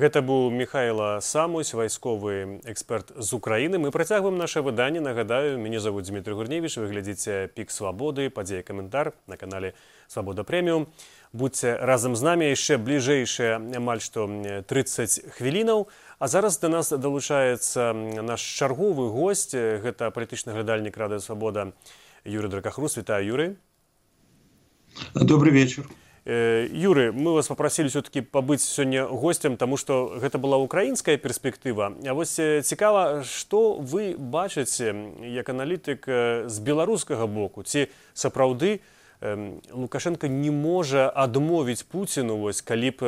Гэта быў Михайло Самусь, вайсковы эксперт з Украіны. Мы працягваем наше выданне. Нагадаю, мяне зовут Дмітрий Гурневич. Вы глядзіце «Пік Свабоды», падзея каментар на канале «Свабода Прэміум». Будьце разам з намі яшчэ бліжэйшыя амаль што 30 хвілінаў. А зараз да нас далучаецца наш чарговы госць. Гэта палітычны глядальнік Радыё Свабода Юрий Дракахрус. Вітаю, Юрий. Добрый вечер. Юрий, мы вас попросили все-таки побыть сегодня гостем, потому что это была украинская перспектива. А вот цікаво, что вы бачите, як аналитик, с белорусского боку? Ці сапраўды Лукашенко не можа адмовіць Пуціну, вось, калі б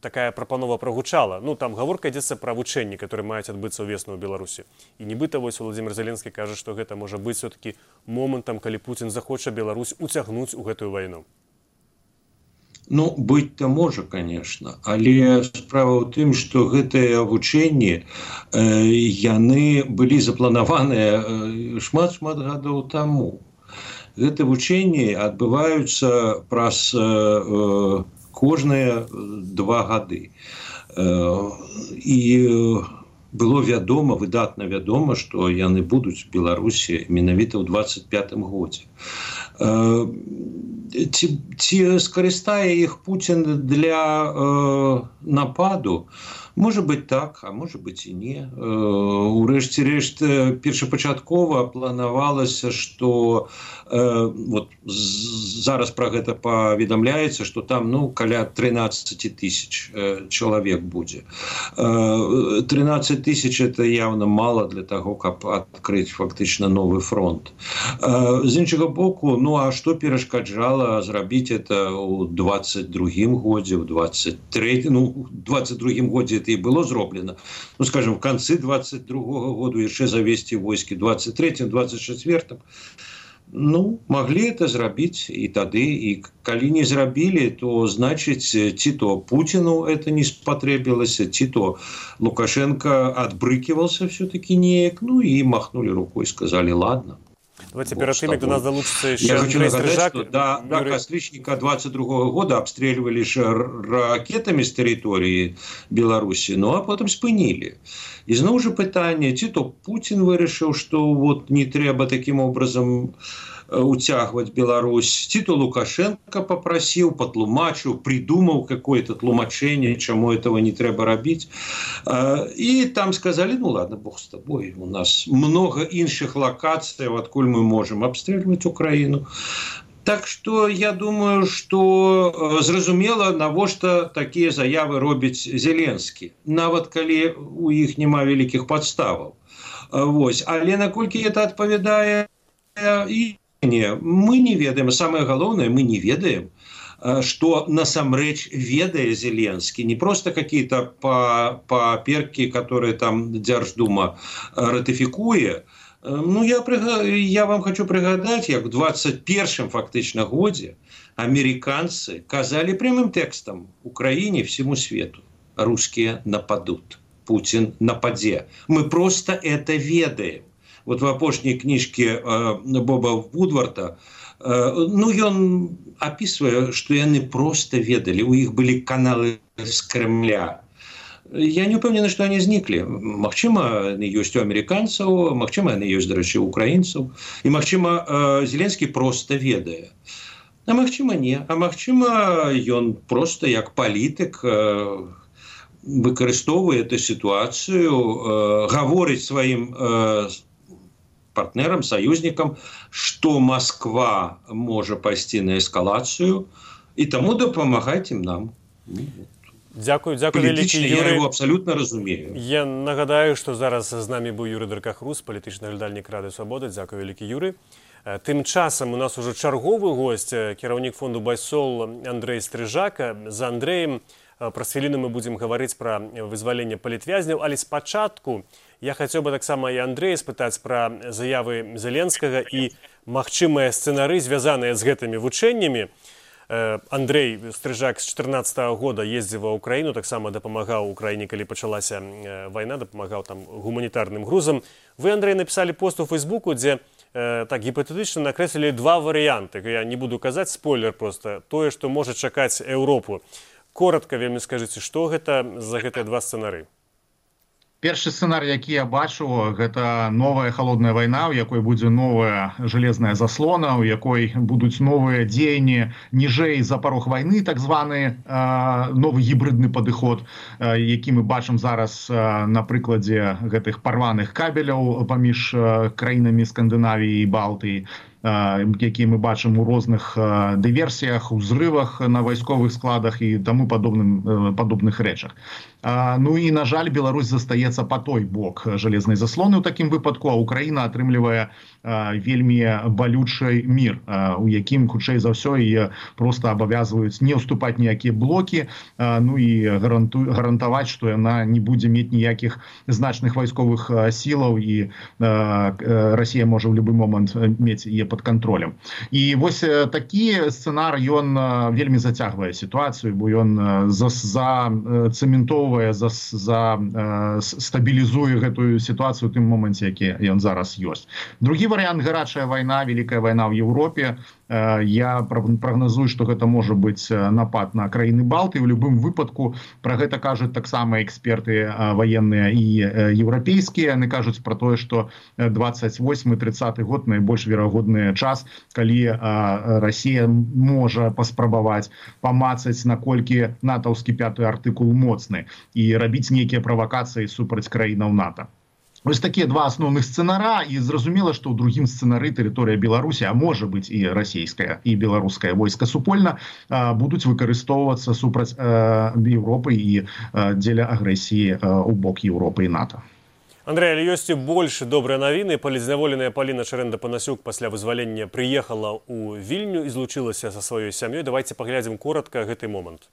такая прапанова прагучала. Ну, там гаворка ідзецца пра вучэнні, которые маюць адбыцца ўвесну ў Беларусі. І нібыта вось Владзімір Зеленскі кажа, што гэта можа быць все-таки момантам, калі Пуцін захоча Беларусь уцягнуць у гэтую вайну. Ну, быць-то можа, конечно, але справа ў тым, што гэтыя вучэнні яны былі запланаваныя шмат-шмат гадоў таму. Гэты вучэнні адбываюцца праз кожныя 2 гады. І было вядома, выдатна вядома, што яны будуць у Беларусі менавіта ў 25-м годзе. Ці скарыстае іх Пуцін для нападу? Можа быць так, а можа быць і не. Урэшце рэшт, першапачаткова планавалася, што вот зараз пра гэта паведамляецца, што там каля 13 тысяч чалавек будзе. 13 тысяч это явно мало для того, каб адкрыць фактычна новы фронт. З іншага боку, а што перашкаджала зрабіць это ў 22-м годзе, ў 22-м годзе это і было зроблена. Скажем, в канцы 22-го году яшчэ завесці войскі, 23-м, 24-м. Маглі это зрабіць і тады, і калі не зрабілі, то значыць, ці то Пуціну это не спатрэбілася, ці то Лукашенко адбрыкивался все-таки неяк, і махнули рукой, сказали, ладно. Давайте перед тем, как до нас долучится еще Я хочу Андрей нагадать, Стрижак. Что до Костричника 22 года обстреливали ракетами с территории Беларуси, а потом спынили. И снова же питание, ці то Путин вырашил, что вот не треба таким образом уцягваць Беларусь, ці то Лукашенко попросил, патлумачыў, придумал какое-то тлумачение, чему этого не треба рабіць. И там сказали, ладно, бог с тобой, у нас много іншых локаций, откуль мы можем обстреливать Украину. Так что я думаю, что зразумела, навошта такие заявы робіць Зеленскі, нават калі у іх няма вялікіх падставаў. Але наколькі это адпавядае і мы не ведаем, самое галоўнае, мы не ведаем, что насамрэч ведае Зеленскі, не просто какие-то паперки, которые там Дзярждума ратыфікуе. Я вам хочу прыгадаць, як в 21-м фактычна годзе американцы казали прямым текстом Украине, всему свету: русские нападут, Путин нападе. Мы просто это ведаем. Вот в апошняй кніжке Боба Вудварда, ён описывае, что яны просто ведали, у іх были каналы з Кремля. Я не упэўнены, что они знікли. Магчыма, яны ёсць у амерыканцаў, магчыма, яны ёсць, дарэчы, у украінцаў. І магчыма, Зеленскі просто ведае. А магчыма, не. А магчыма, ён просто як палітык выкарыстоўвае эту ситуацию, гаворыць сваім партнерам, союзникам, что Москва может пойти на эскалацию, и тому дапамагаць им нам. Дякую вялікі, Юрий. Я его абсолютно разумею. Я нагадаю, что зараз з намі быў Юрий Деркахрус, палітычны глядальнік Рады Свабоды. Дякую вялікі, Юрий. Тым часам у нас уже чарговы гость, кіраўнік фонду Байсол Андрей Стрижак. За Андреем праз хвіліну мы будзем гаварыць пра вызваленне палітвязняў, але спачатку я хацеў бы таксама і Андрэя спытаць пра заявы Зеленскага і магчымыя сцэнары, звязаныя з гэтымі вучэннямі. Андрей Стрижак з 2014 года ездзіў ва Украіну, таксама дапамагаў Украіне, калі пачалася вайна, дапамагаў там гуманітарным грузам. Вы, Андрей, напісалі пост у Фейсбуку, дзе так гіпатэтычна накрэслілі 2 варыянты. Я не буду казаць, спойлер просто, тое, што можа чакаць Еўропу. Коротка вельмі скажыце, што гэта за гэтыя 2 сцэнары? Першы сцэнарый, які я бачу, гэта новая холодная вайна, у якой будзе новая железная заслона, у якой будуць новыя дзеянні ніжэй за парог вайны, так званы новы гібридны падыход, які мы бачым зараз на прыкладзе гэтых парваных кабеляў паміж краінамі Скандынавіі і Балтыі. якія мы бачым у розных дыверсіях, узрывах на вайсковых складах і таму падобных рэчах. Ну і, на жаль, Беларусь застаецца па той бок жалезнай заслоны ў такім выпадку, а Украіна атрымлівае вельмі балючы мір, у якім, хутчэй за ўсё, і проста абавязваюць не ўступаць ніякія блокі, ну і гарантаваць, што яна не будзе мець ніякіх значных вайсковых сілаў і Расія можа ў любы момант мець яе пад кантролем. І вось такі сцэнар, ён вельмі зацягвае сітуацыю, бо ён зацэментоўвае, стабілізуе гэтую сітуацыю ў тым моманце, які ён зараз ёсць. Другі варыянт — гарачая вайна, вялікая вайна ў Еўропе. Я прагназую, што гэта можа быць напад на краіны Балты. У любым выпадку пра гэта кажуць таксама эксперты ваенныя і еўрапейскія. Яны кажуць пра тое, што 28-30 год найбольш верагодны час, калі Расія можа паспрабаваць памацаць, наколькі натаўскі 5-й артыкул моцны і рабіць нейкія правакацыі супраць краінаў НАТО. Ось такія два асноўных сцэнара, і зразумела, што ў другім сцэнары тэрыторыя Беларусі, а можа быць і расійская, і беларускае войска супольна, будуць выкарыстоўвацца супраць Еўропы і дзеля агрэсіі ў бок Еўропы і НАТО. Андрей, але ёсць і больш добрыя навіны. Палізняволеная Паліна Шарэнда-Панасюк пасля вызвалення прыехала ў Вільню і злучылася са сваёй сям'ёй. Давайте паглядзім коротка гэты момант.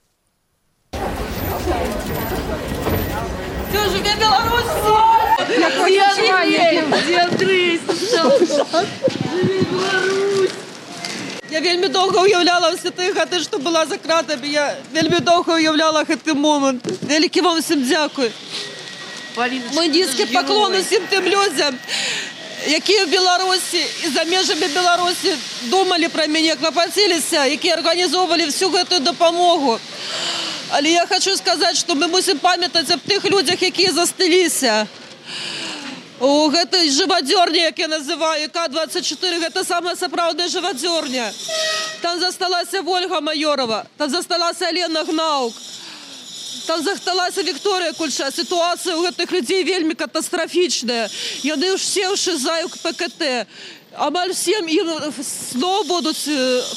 Все, живе Беларусь! Я вельмі доўга уяўляла ўсе тыя гады, што была за кратамі. Я вельмі доўга уяўляла гэты момант. Вялікі вам усім дзякуй. Мой нізкі паклон усім тым людзям, якія ў Беларусі і за межамі Беларусі думалі пра мяне, клапаціліся, якія арганізоўвалі всю гэтую дапамогу. Але я хочу сказаць, што мы мусім памятаць аб тых людзях, якія застыліся. У гэтай жывадзёрні, як я называю, К-24, гэта самая сапраўдная жывадзёрня. Там засталася Вольга Майорова, там засталася Алена Гнаук, там засталася Вікторыя Кульша. Сітуацыя ў гэтых людзей вельмі катастрафічная. Яны ўсе ўшызаюць ПКТ. Амаль всем им снова будут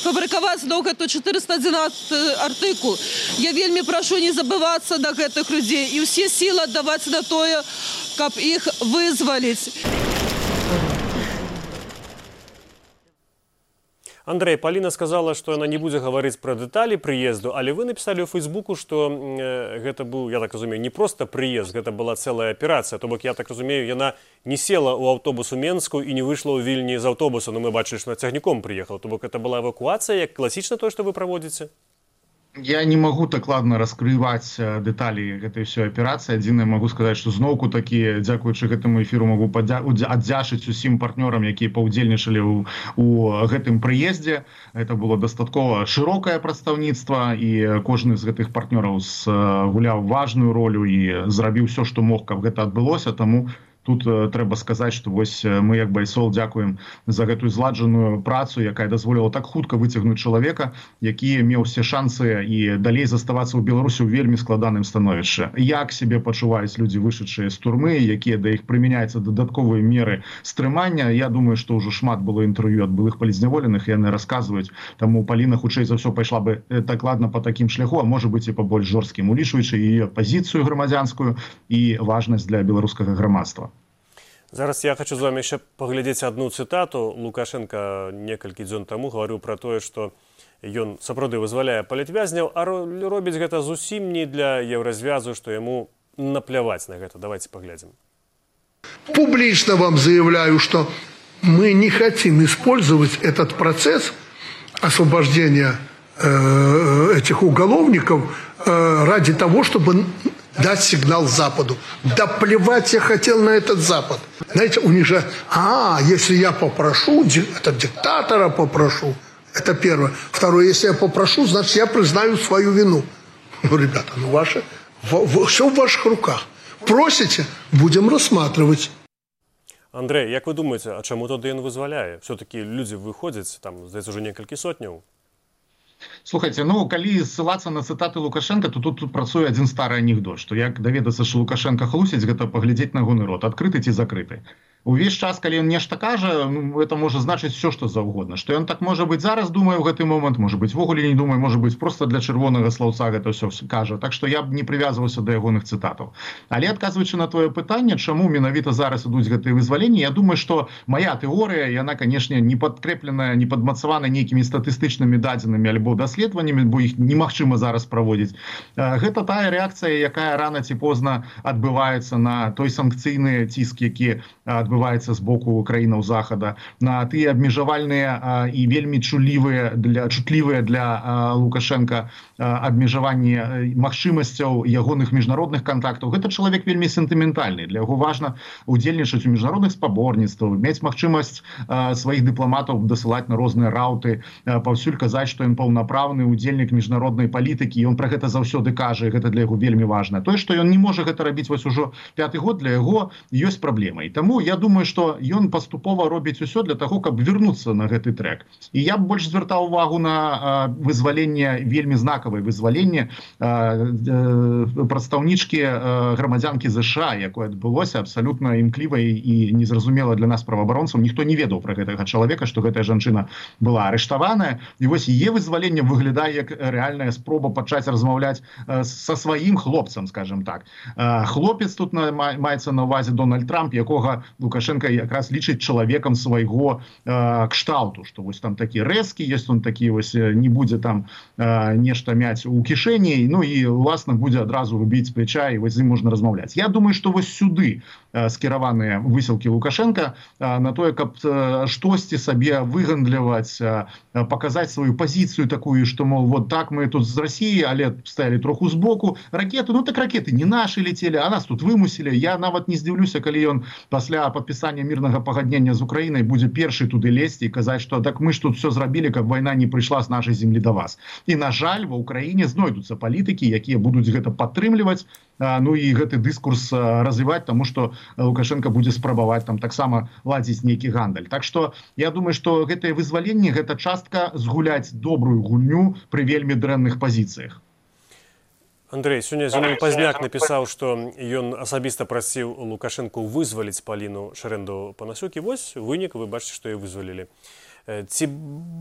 фабриковать гэту 411 артыкул. Я вельмі прошу не забываться на гэтых людей и все силы отдавать на тое, каб их вызволить. Андрей, Паліна сказала, што яна не будзе гаварыць пра дэталі прыезду, але вы напісалі ў Фейсбуку, што гэта быў, я так разумею, не проста прыезд, гэта была цэлая аперацыя. То бок, я так разумею, яна не села ў аўтобус у Менску і не выйшла ў Вільні з аўтобуса, но мы бачылі, што цягніком прыехала. То бок, гэта была эвакуацыя, як класічна тое, што вы праводзіце? Я не могу дакладна раскрываць дэталі гэтай ўсёй аперацыі. Адзінае магу сказаць, што зноўку такі, дзякуючы гэтаму эфіру, магу аддзячыць усім партнёрам, якія паўдзельнічалі ў гэтым прыездзе. Гэта было дастаткова шырокае прадстаўніцтва, і кожны з гэтых партнёраў гуляў важную ролю і зрабіў усё, што мог, каб гэта адбылося. Таму тут трэба сказаць, што вось мы, як Байсол, дзякуем за гэтую зладжаную працу, якая дазволіла так хутка выцягнуць чалавека, які меў усе шансы і далей заставацца ў Беларусі ў вельмі складаным становішчы. Як сябе пачуваюць людзі, вышедшыя з турмы, якія да іх прымяняюцца дадатковыя меры стрымання. Я думаю, што ўжо шмат было інтэрв'ю ад былых палізняволеных, і яны расказваюць. Таму Паліна, хутчэй за ўсё, пайшла бы дакладна па такім шляху, а можа быць і па больш жорсткім, улічваючы яе пазіцыю грамадзянскую і важнасць для беларускага грамадства. Зараз я хочу з вами яшчэ паглядзець адну цытату. Лукашенко некалькі дзён таму гаварыў пра тое, што ён сапраўды вызваляе палітвязняў, а робіць гэта зусім не для еўразвязу, што яму напляваць на гэта. Давайте поглядим. Публично вам заявляю, что мы не хотим использовать этот процесс освобождения этих уголовников ради того, чтобы дать сигнал Западу. Да плевать я хотел на этот Запад. Знаете, у них же, если я попрошу, это диктатора попрошу. Это первое. Второе, если я попрошу, значит, я признаю свою вину. Ну, ребята, все в ваших руках. Просите, будем рассматривать. Андрей, як вы думаете, а чаму тады ён вызваляе? Все-таки люди выходзяць, там, здаецца, уже некалькі сотняў. Слухайте, калі ссылацца на цытаты Лукашенка, то тут працуе адзін стары анекдот, што як даведацца, што Лукашенко хлусіць, гэта паглядзець на гоны рот, адкрыты ці закрыты. Увесь час, калі ён нешта кажа, ну, это можа значыць все, што заўгодна. Што ён так, можа быць, зараз думае ў гэты момант, можа быць, вогуле не думае, можа быць, проста для чырвонага слаўца гэта ўсё кажа. Так што я б не прывязваўся да ягоных цытатаў. Але адказваючы на твоё пытанне, чаму менавіта зараз ідуць гэтыя вызваленні, я думаю, што моя тэорыя, яна, канешне, не падкрэпленая, не падмацавана нейкімі статыстычнымі дадзенымі альбо даследаваннямі, бо іх немагчыма зараз праводзіць. Гэта тая рэакцыя, якая рана ці позна адбываецца на той санкцыйны ціск, які адбываецца з боку краінаў захада, на тыя абмежавальныя і вельмі чутлівыя для Лукашенка абмежаванні магчымасцяў ягоных міжнародных контактаў. Гэта чалавек вельмі сентыментальны. Для яго важна удзельнічаць у міжнародных спаборніцтвах, мець магчымасць сваіх дыпламатаў дасылаць на розныя раўты, паўсюль казаць, што ён паўнапраўны удзельнік міжнароднай палітыкі, ён пра гэта заўсёды кажа, і гэта для яго вельмі важна. Тое, што ён не можа гэта рабіць вось ужо 5-й год, для яго ёсць праблема. І таму я думаю, што ён паступова робіць усё для таго, каб вярнуцца на гэты трэк. І я б больш звяртаў увагу на вызваленне, вельмі знакавае вызваленне прадстаўнічкі грамадзянкі ЗША, якое адбылося абсалютна імклівай і незразумела для нас праваабаронцаў. Ніхто не ведаў пра гэтага чалавека, што гэтая жанчына была арыштаваная. І вось яе вызваленне выглядае як рэальная спроба пачаць размаўляць са сваім хлопцам, скажем так. Хлопец тут маецца на ўвазе Дональд Трамп, якога Лукашенко якраз лічыць чалавекам свайго кшталту, што вось там такі рэзкі, ёсць он такі вось, не будзе там нешта мяць у кішэні, ну і уласна будзе адразу рубіць з плеча, і вось з ім можна размаўляць. Я думаю, што вось сюды скіраваныя высілкі Лукашенка на тое, каб штосьці сабе выгандліваць, паказаць сваю пазіцыю такую, што, мол, вот так мы тут з Расіі, але стаялі троху збоку. Ракеты, ну так ракеты не нашы летелі, а нас тут вымусілі. Я нават не здзіўлюся, калі ён пасля падпісання мірнага пагаднення з Украінай будзе першы туды лезці і казаць, што так мы ж тут все зрабілі, каб вайна не прыйшла з нашай землі да вас. І, на жаль, ва Ўкраіне знойдуцца палітыкі, якія будуць гэта падтрымліваць, ну і гэты дыскурс развіваць, таму што Лукашенко будзе спрабаваць там таксама ладзіць нейкі гандаль. Так што я думаю, што гэтае вызваленне, гэта частка згуляць добрую гульню пры вельмі дрэнных пазіцыях. Андрей, сёння Зенон Пазняк напісаў, што ён асабіста прасіў Лукашенку вызваліць Паліну Шэрэндаў-Панасюк, і вось вынік, вы бачыце, што яе вызвалілі. Ці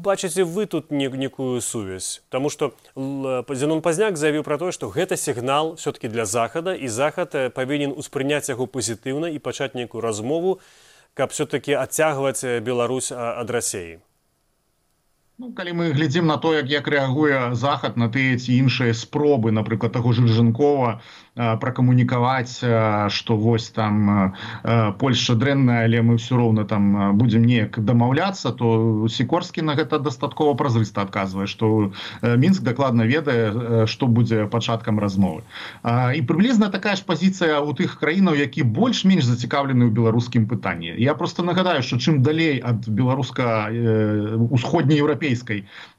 бачыце вы тут некую сувязь? Таму што Зенон Пазняк заявіў пра тое, што гэта сігнал все-таки для Захада, і Захад павінен успрыняць яго пазітыўна і пачаць нейкую размову, каб все-таки адцягваць Беларусь ад Расіі. Ну, калі мы глядзім на то, як рэагуе Захад на тыя ці іншыя спробы, напрыклад, таго ж Рыжанкова пракамунікаваць, што вось там Польшча дрэнная, але мы ўсё роўна там будзем неяк дамаўляцца, то Сікорскі на гэта дастаткова празрыста адказвае, што Мінск дакладна ведае, што будзе пачаткам размовы. І прыблізна такая ж пазіцыя ў тых краінаў, які больш-менш зацікаўлены ў беларускім пытанні. Я проста нагадаю, што чым далей ад беларуска-усходнееўрапейскай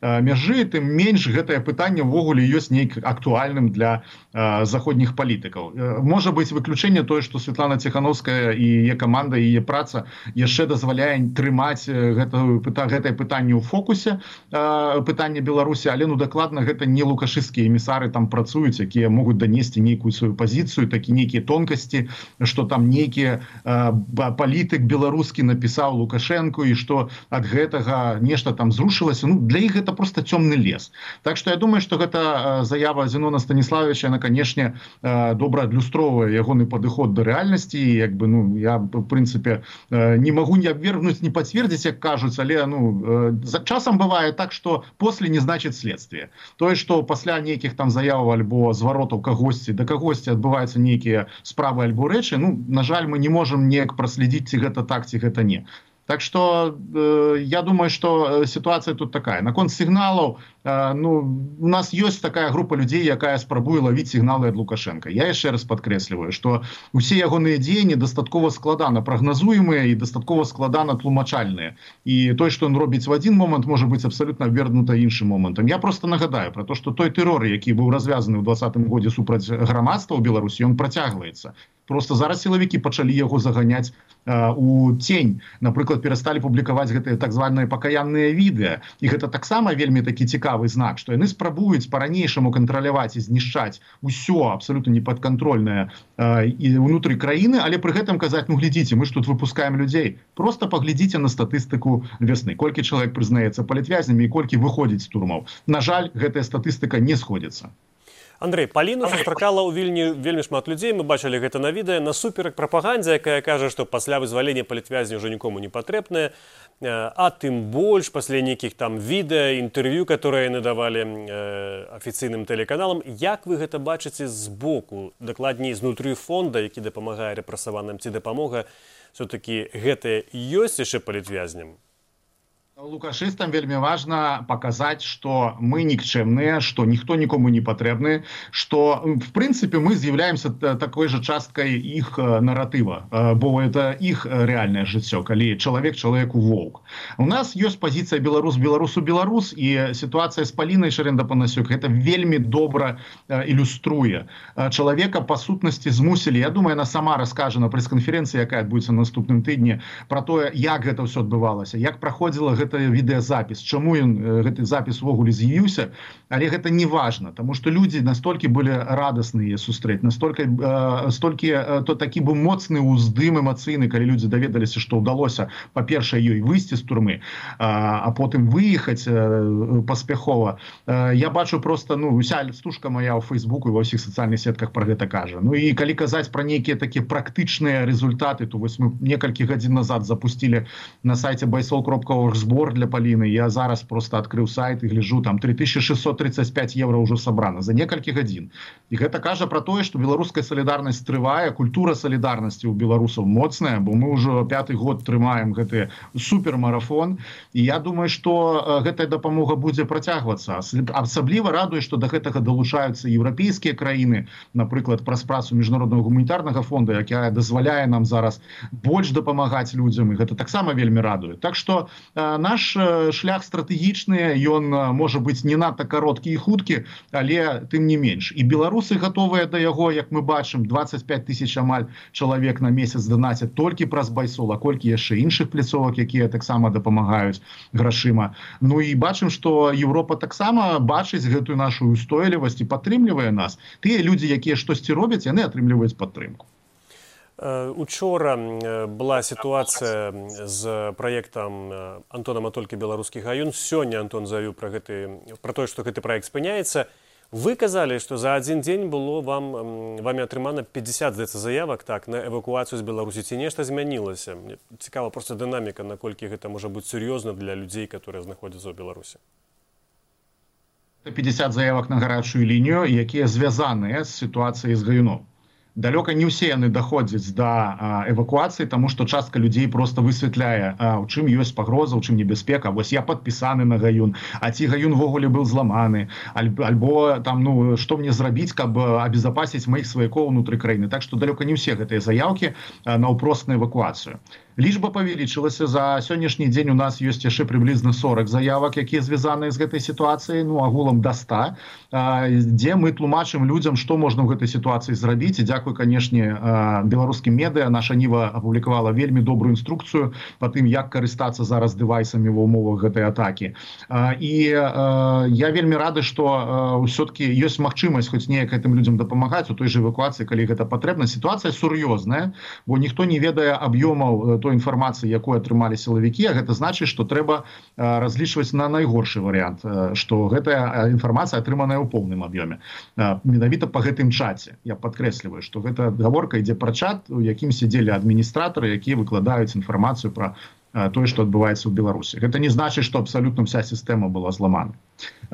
мяжы, тым менш гэтае пытанне ўвогуле ёсць нейк актуальным для заходніх палітыкаў. Можа быць выключэнне тое, што Святлана Ціхановская і яе каманда, і яе праца яшчэ дазваляе трымаць гэтае пытанне ў фокусе, пытанне Беларусі, але ну дакладна гэта не лукашысцкія эмісары там працуюць, якія могуць данесці нейкую сваю пазіцыю, такі нейкія тонкасці, што там нейкі палітык беларускі напісаў Лукашенку і што ад гэтага нешта там зрушылася. Ну, для іх гэта проста цёмны лес. Так што я думаю, што гэта заява Зенона Станіславовича, яна, канешне, добра адлюстроўвае ягоны падыход да рэальнасці. Як бы, ну, я, в прынцыпе, не магу не абвергнуць, не пацвердзіць, як кажуць, але ну, часам бывае так, што после не значыць следствие. Тое, што пасля нейкіх там заяваў альбо зваротаў кагосьці да кагосьці адбываюцца нейкія справы альбо рэчы, ну, на жаль, мы не можам неяк праследзіць, ці гэта так, ці гэта не. Так што я думаю, што сітуацыя тут такая. Наконт сігналаў, ну, у нас ёсць такая група людзей, якая спрабуе лавіць сігналы ад Лукашенка. Я яшчэ раз падкрэсліваю, што усе ягоныя дзеянні дастаткова складана прагназуемыя і дастаткова складана тлумачальныя. І той, што ён робіць в адзін момант, можа быць абсалютна абвергнута іншым момантам. Я проста нагадаю пра то, што той тэрор, які быў развязаны ў 2020 годзе супраць грамадства ў Беларусі, ён працягваецца. Просто зараз сілавікі пачалі яго заганяць у тень. Напрыклад, перасталі публікаваць гэтыя так званыя пакаянныя відэа. І гэта таксама вельмі такі цікавы цікавы знак, што яны спрабуюць па-ранейшаму кантраляваць і знішчаць усё абсалютна непадкантрольнае і ўнутры краіны, але пры гэтым казаць, ну глядзіце, мы ж тут выпускаем людзей. Просто паглядзіце на статыстыку вясны. Колькі чалавек прызнаецца палітвязнямі і колькі выходзіць з турмаў. На жаль, гэтая статыстыка не сходзіцца. Андрэй, Паліну сустракала ў Вільні вельмі шмат людзей, мы бачылі гэта на відэа, насуперак прапагандзе, якая кажа, што пасля вызвалення палітвязня ўжо нікому не патрэбнае, а тым больш пасля нейкіх там відэа, інтэрв'ю, которые яны давалі афіцыйным тэлеканалам. Як вы гэта бачыце з боку, дакладней знутры фонда, які дапамагае рэпрэсаваным, ці дапамога все-таки гэта ёсць яшчэ палітвязням? Лукашыстам вельмі важна паказаць, што мы нікчэмныя, што ніхто нікому не патрэбны, што в прынцыпе мы з'яўляемся такой жа часткай іх наратыва, бо это іх рэальнае жыццё, калі чалавек чалавеку воўк. У нас ёсць пазіцыя беларус беларусу беларус, і сітуацыя з Палінай Шарэнда-Панасюк гэта вельмі добра ілюструе. Чалавека па сутнасці змусілі, я думаю, яна сама раскажа на прэс-канферэнцыі, якая адбудзецца на наступным тыдні, пра тое, як гэта ўсё адбывалася, як праходзіла гэта відэазапіс, чаму гэты запіс увогуле з'явіўся, але гэта не важна, таму што людзі настолькі былі радасныя сустрэць, настолькі то такі быў моцны ўздым эмацыйны, калі людзі даведаліся, што ўдалося, па-першае, ёй выйсці з турмы, а потым выехаць паспяхова. Я бачу просто, уся стужка моя ў Фейсбуку і ва ўсіх сацыяльных сетках пра гэта кажа. Ну і калі казаць пра нейкія такія практычныя результаты, то вось мы некалькі гадзін назад запустілі на сайце baisol.org збор для Паліны. Я зараз просто адкрыў сайт і гляджу, там 3635 евро ўжо сабрана за некалькі гадзін. І гэта кажа пра тое, што беларуская салідарнасць трывае, культура салідарнасці ў беларусаў моцная, бо мы ўжо 5-й год трымаем гэты супермарафон. І я думаю, што гэтая дапамога будзе працягвацца. Асабліва радуе, што да гэтага далучаюцца еўрапейскія краіны, напрыклад, праз працу міжнароднага гуманітарнага фонда, якая дазваляе нам зараз больш дапамагаць людзям, і гэта таксама вельмі радуе. Так што наш шлях стратэгічны, ён можа быць не надта кароткі і хуткі, але тым не менш. І беларусы гатовыя да яго, як мы бачым, 25 тысяч амаль чалавек на месяц данацяць толькі праз Байсол, а колькі яшчэ іншых пляцовак, якія таксама дапамагаюць грашыма. Ну і бачым, што Еўропа таксама бачыць гэтую нашу устойлівасць і падтрымлівае нас. Тыя людзі, якія штосьці робяць, яны атрымліваюць падтрымку. Учора была ситуация з праектам Антона Матолькі «Беларускі гаюн». Сёння Антон заявіў пра тое, што гэты праект спыняецца. Вы казалі, што за адзін дзень было вамі атрымана 50 заявак на эвакуацыю з Беларусі. Ці нешта змянілася? Мне цікава проста дынаміка, наколькі гэта можа быць сур'ёзна для людзей, которые знаходзяцца ў Беларусі. 50 заявак на гарачую лінію, якія звязаныя з сітуацыяй з гаюном. Далёка не ўсе яны даходзяць да эвакуацыі, таму што частка людзей просто высвятляе, у чым ёсць пагроза, у чым небяспека. Вось я падпісаны на гаюн, а ці гаюн ввогуле быў зламаны, альбо там, што мне зрабіць, каб абезапасіць маіх сваякоў унутры краіны. Так што далёка не ўсе гэтыя заяўкі наўпрост на эвакуацыю. Лічба павялічылася. За сённяшні дзень у нас ёсць яшчэ прыблізна 40 заявак, якія звязаныя з гэтай сітуацыяй, агулам да 100, дзе мы тлумачым людзям, што можна ў гэтай сітуацыі зрабіць. І дзякуй, канешне, беларускім медыа. Наша Ніва апублікавала вельмі добрую інструкцыю па тым, як карыстацца зараз дэвайсамі ва ўмовах гэтай атакі. І я вельмі рады, што ўсё-таки ёсць магчымасць хоць неяк гэтым людзям дапамагаць у той жа эвакуацыі, калі гэта патрэбна. Сітуацыя сур'ёзная, бо ніхто не ведае аб'ёмаў той інфармацыі, якую атрымалі сілавікі, а гэта значыць, што трэба разлічваць на найгоршы варыянт, што гэтая інфармацыя атрыманая ў поўным аб'ёме. Менавіта па гэтым чаце. Я падкрэсліваю, што гэта гаворка ідзе пра чат, у якім сядзелі адміністратары, якія выкладаюць інфармацыю пра тое, што адбываецца ў Беларусі. Гэта не значыць, што абсалютна вся сістэма была зламана.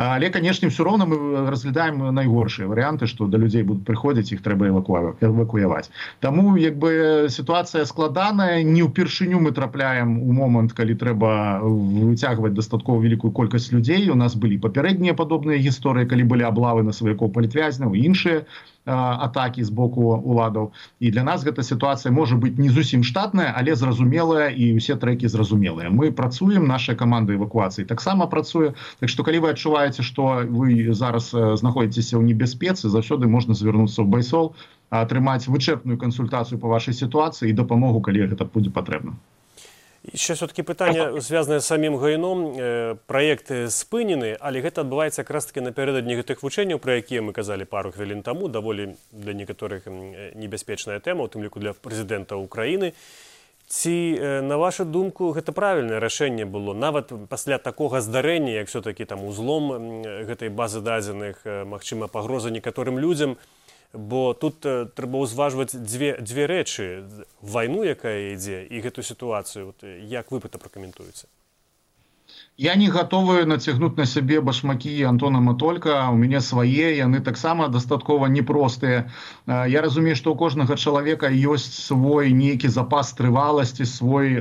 Але, канешне, ўсё роўна мы разглядаем найгоршыя варыянты, што да людзей будуць прыходзіць, іх трэба эвакуяваць. Таму, сітуацыя складаная, не ўпершыню мы трапляем у момант, калі трэба выцягваць дастаткова вялікую колькасць людзей. У нас былі папярэднія падобныя гісторыі, калі былі аблавы на сваякоў палітвязняў і іншыя атакі з боку уладаў. І для нас гэта сітуацыя можа быць не зусім штатная, але зразумелая, і ўсе трэкі зразумелыя. Мы працуем, наша каманда эвакуацыі таксама працуе. Так што калі вы адчуваеце, што вы зараз знаходзіцеся ў небяспецы, заўсёды можна звярнуцца ў Байсол, атрымаць вычэрпную кансультацыю па вашай сітуацыі і дапамогу, калі гэта будзе патрэбна. Яшчэ все-таки пытанне звязанае з самім гайном. Праект спынены, але гэта адбываецца якраз таки напярэдадні гэтых вучэнняў, пра якія мы казалі пару хвілін таму. Даволі для некаторых небяспечная тэма, у тым ліку для прэзідэнта Украіны. Ці, на вашу думку, гэта правільнае рашэнне было? Нават пасля такога здарэння, як все-таки там узлом гэтай базы дадзеных, магчыма, пагроза некаторым людзям, бо тут трэба ўзважваць дзве рэчы: вайну, якая ідзе, і гэту сітуацыю. Як вы гэта пракаментуеце? Я не готовы нацягнуць на сябе башмакі Антона Матолька, у мяне свае, яны таксама дастаткова непростыя. Я разумею, што ў кожнага чалавека ёсць свой нейкі запас трываласці, свой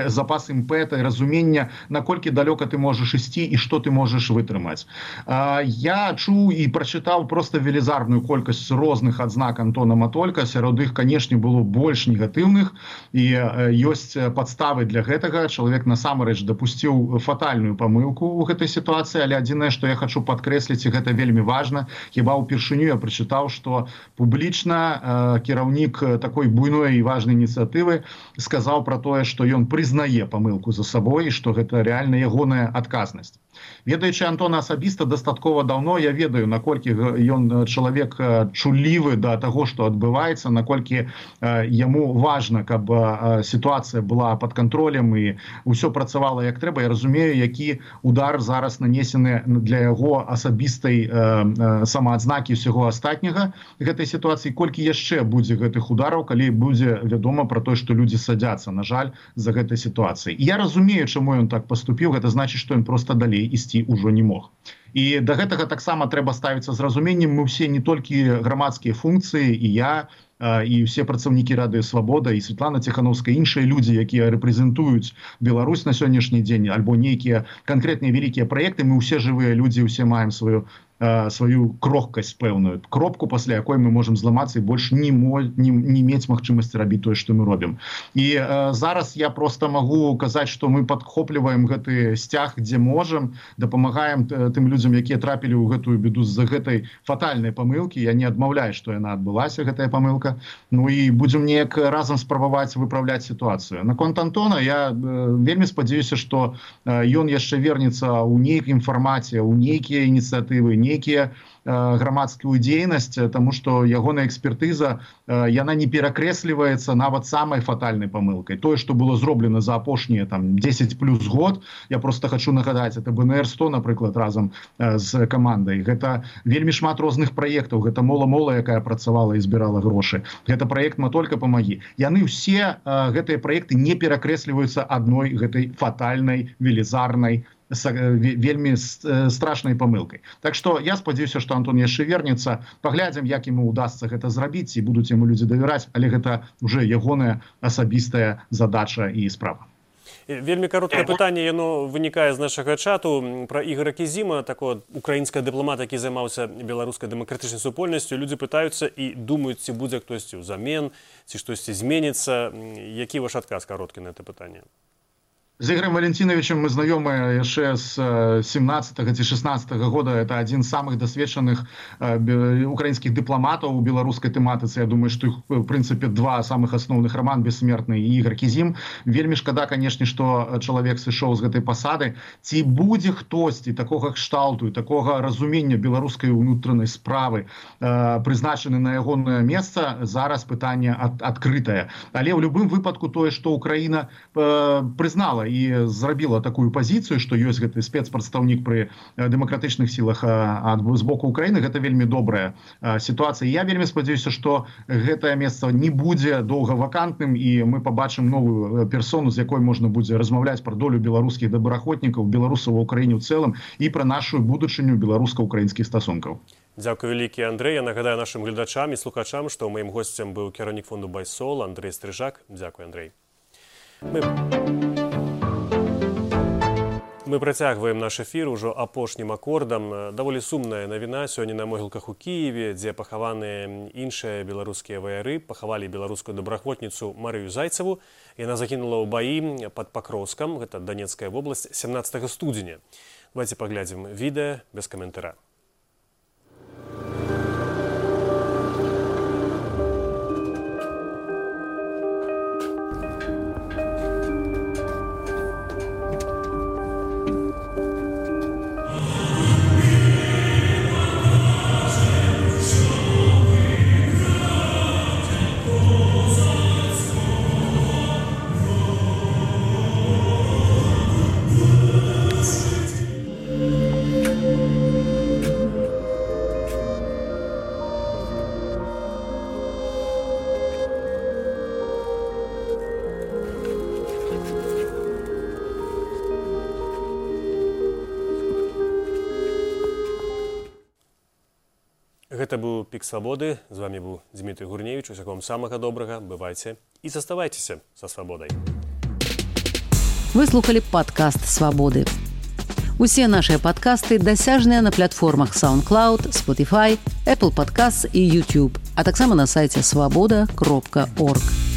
запас імпэта і разумення, наколькі далёка ты можаш ісці і што ты можаш вытрымаць. Я чуў і прачытаў проста велізарную колькасць розных адзнак Антона Матолька, сярод іх, канешне, было больш негатыўных, і ёсць падставы для гэтага. Чалавек насамрэч дапусціў фатальную памылку ў гэтай сітуацыі, але адзінае, што я хочу падкрэсліць, і гэта вельмі важна, хіба ўпершыню я прачытаў, што публічна кіраўнік такой буйной і важнай ініцыятывы сказаў пра тое, што ён прызнае памылку за сабой і што гэта рэальна ягоная адказнасць. Ведаючы Антона асабіста дастаткова даўно, я ведаю, наколькі ён чалавек чулівы да таго, што адбываецца, наколькі яму важна, каб сітуацыя была пад кантролем і ўсё працавала як трэба. Я разумею, які удар зараз нанесены для яго асабістай самаадзнакі ўсяго астатняга гэтай сітуацыі, колькі яшчэ будзе гэтых удараў, калі будзе вядома пра тое, што людзі садзяцца, на жаль, за гэтай сітуацыяй. Я разумею, чаму ён так паступіў, гэта значыць, што ён проста далей ісці ўжо не мог. І да гэтага таксама трэба ставіцца з разуменнем. Мы ўсе не толькі грамадскія функцыі, і я, і ўсе працаўнікі Радыё Свабода, і Святлана Ціхановская, іншыя людзі, якія рэпрэзентуюць Беларусь на сённяшні дзень, альбо нейкія канкрэтныя вялікія праекты, мы ўсе жывыя людзі, ўсе маем сваю крохкасць пэўную, кропку, пасля якой мы можам зламацца і больш не мець магчымасці рабіць тое, што мы робім. І зараз я проста магу казаць, што мы падхопліваем гэты сцяг, дзе можам, дапамагаем тым людзям, якія трапілі ў гэтую беду з-за гэтай фатальнай памылкі. Я не адмаўляю, што яна адбылася, гэтая памылка. Ну і будзем неяк разам спрабаваць выпраўляць сітуацыю. Наконт Антона, я вельмі спадзяюся, што ён яшчэ вернецца ў нейкім фармаце, ў нейкія ініцыятывы, нейкія грамадскую дзейнасць, таму што ягоная экспертыза, яна не перакрэсліваецца нават самай фатальнай памылкай. Тое, што было зроблена за апошнія 10 плюс год, я просто хочу нагадаць, это БНР-100, напрыклад, разам з камандай. Гэта вельмі шмат розных праектаў, гэта мола-мола, якая працавала і збірала грошы. Гэта праект «Матолька, памагі». Яны ўсе, гэтыя праекты, не перакрэсліваюцца адной гэтай фатальнай, велізарнай, вельмі страшнай памылкай. Так што я спадзяюся, што Антон яшчэ вернецца, паглядзім, як яму удасца гэта зрабіць, і будуць яму людзі давяраць, але гэта ўжо ягоная асабістая задача і справа. Вельмі кароткае пытанне, яно вынікае з нашага чату пра Ігора Кізіма, такого украінскага дыпламата, які займаўся беларускай дэмакратычнай супольнасцю. Людзі пытаюцца і думаюць, ці будзе хтосьці ўзамен, ці штосьці зменіцца. Які ваш адказ кароткі на гэта пытанне? З Ігорем Валентиновичем мы знаёмы яшчэ з 17-го ці 16-го года. Это адзін з самых дасведчаных украінскіх дыпламатаў у беларускай тэматыцы. Я думаю, што іх, в прынцыпе, два самых асноўных: Роман Бессмертны і Ігор Кізім. Вельмі шкада, канешне, што чалавек сышоў з гэтай пасады. Ці будзе хтосьці такога кшталту і такога разумення беларускай унутранай справы прызначаны на ягонае месца, зараз пытанне адкрытае. Але ў любым выпадку тое, што Украіна прызнала і зрабіла такую пазіцыю, што ёсць гэты спецпрадстаўнік пры дэмакратычных сілах з боку Украіны, гэта вельмі добрая сітуацыя. Я вельмі спадзяюся, што гэтае месца не будзе доўга вакантным, і мы пабачым новую персону, з якой можна будзе размаўляць пра долю беларускіх добраахвотнікаў, беларусаў ва ўкраіне ў цэлым і пра нашу будучыню беларуска-украінскіх стасункаў. Дзякуй вялікі, Андрэй. Я нагадаю нашым гледачам і слухачам, што маім госцем быў кіраўнік фонду Байсол Андрэй Стрыжак. Дзякуй, Андрэй. Мы працягваем наш эфір ужо апошнім акордам. Даволі сумная навіна сёння на могілках у Кіеве, дзе пахаваныя іншыя беларускія ваяры. Пахавалі беларускую добраахвотніцу Марыю Зайцеву. Яна загінула ў баі пад Пакроўскам, гэта Донецкая вобласць, 17 студзеня. Давайте паглядзім відэа без каментара. Гэта быў Пік Свабоды. З вамі быў Дмітрый Гурневіч. Усяго вам самага добрага. Бывайце і заставайцеся са свабодай. Вы слухали падкаст «Свабоды». Усе нашыя падкасты дасяжныя на платформах SoundCloud, Spotify, Apple Podcasts і YouTube, а таксама на сайце swaboda.org.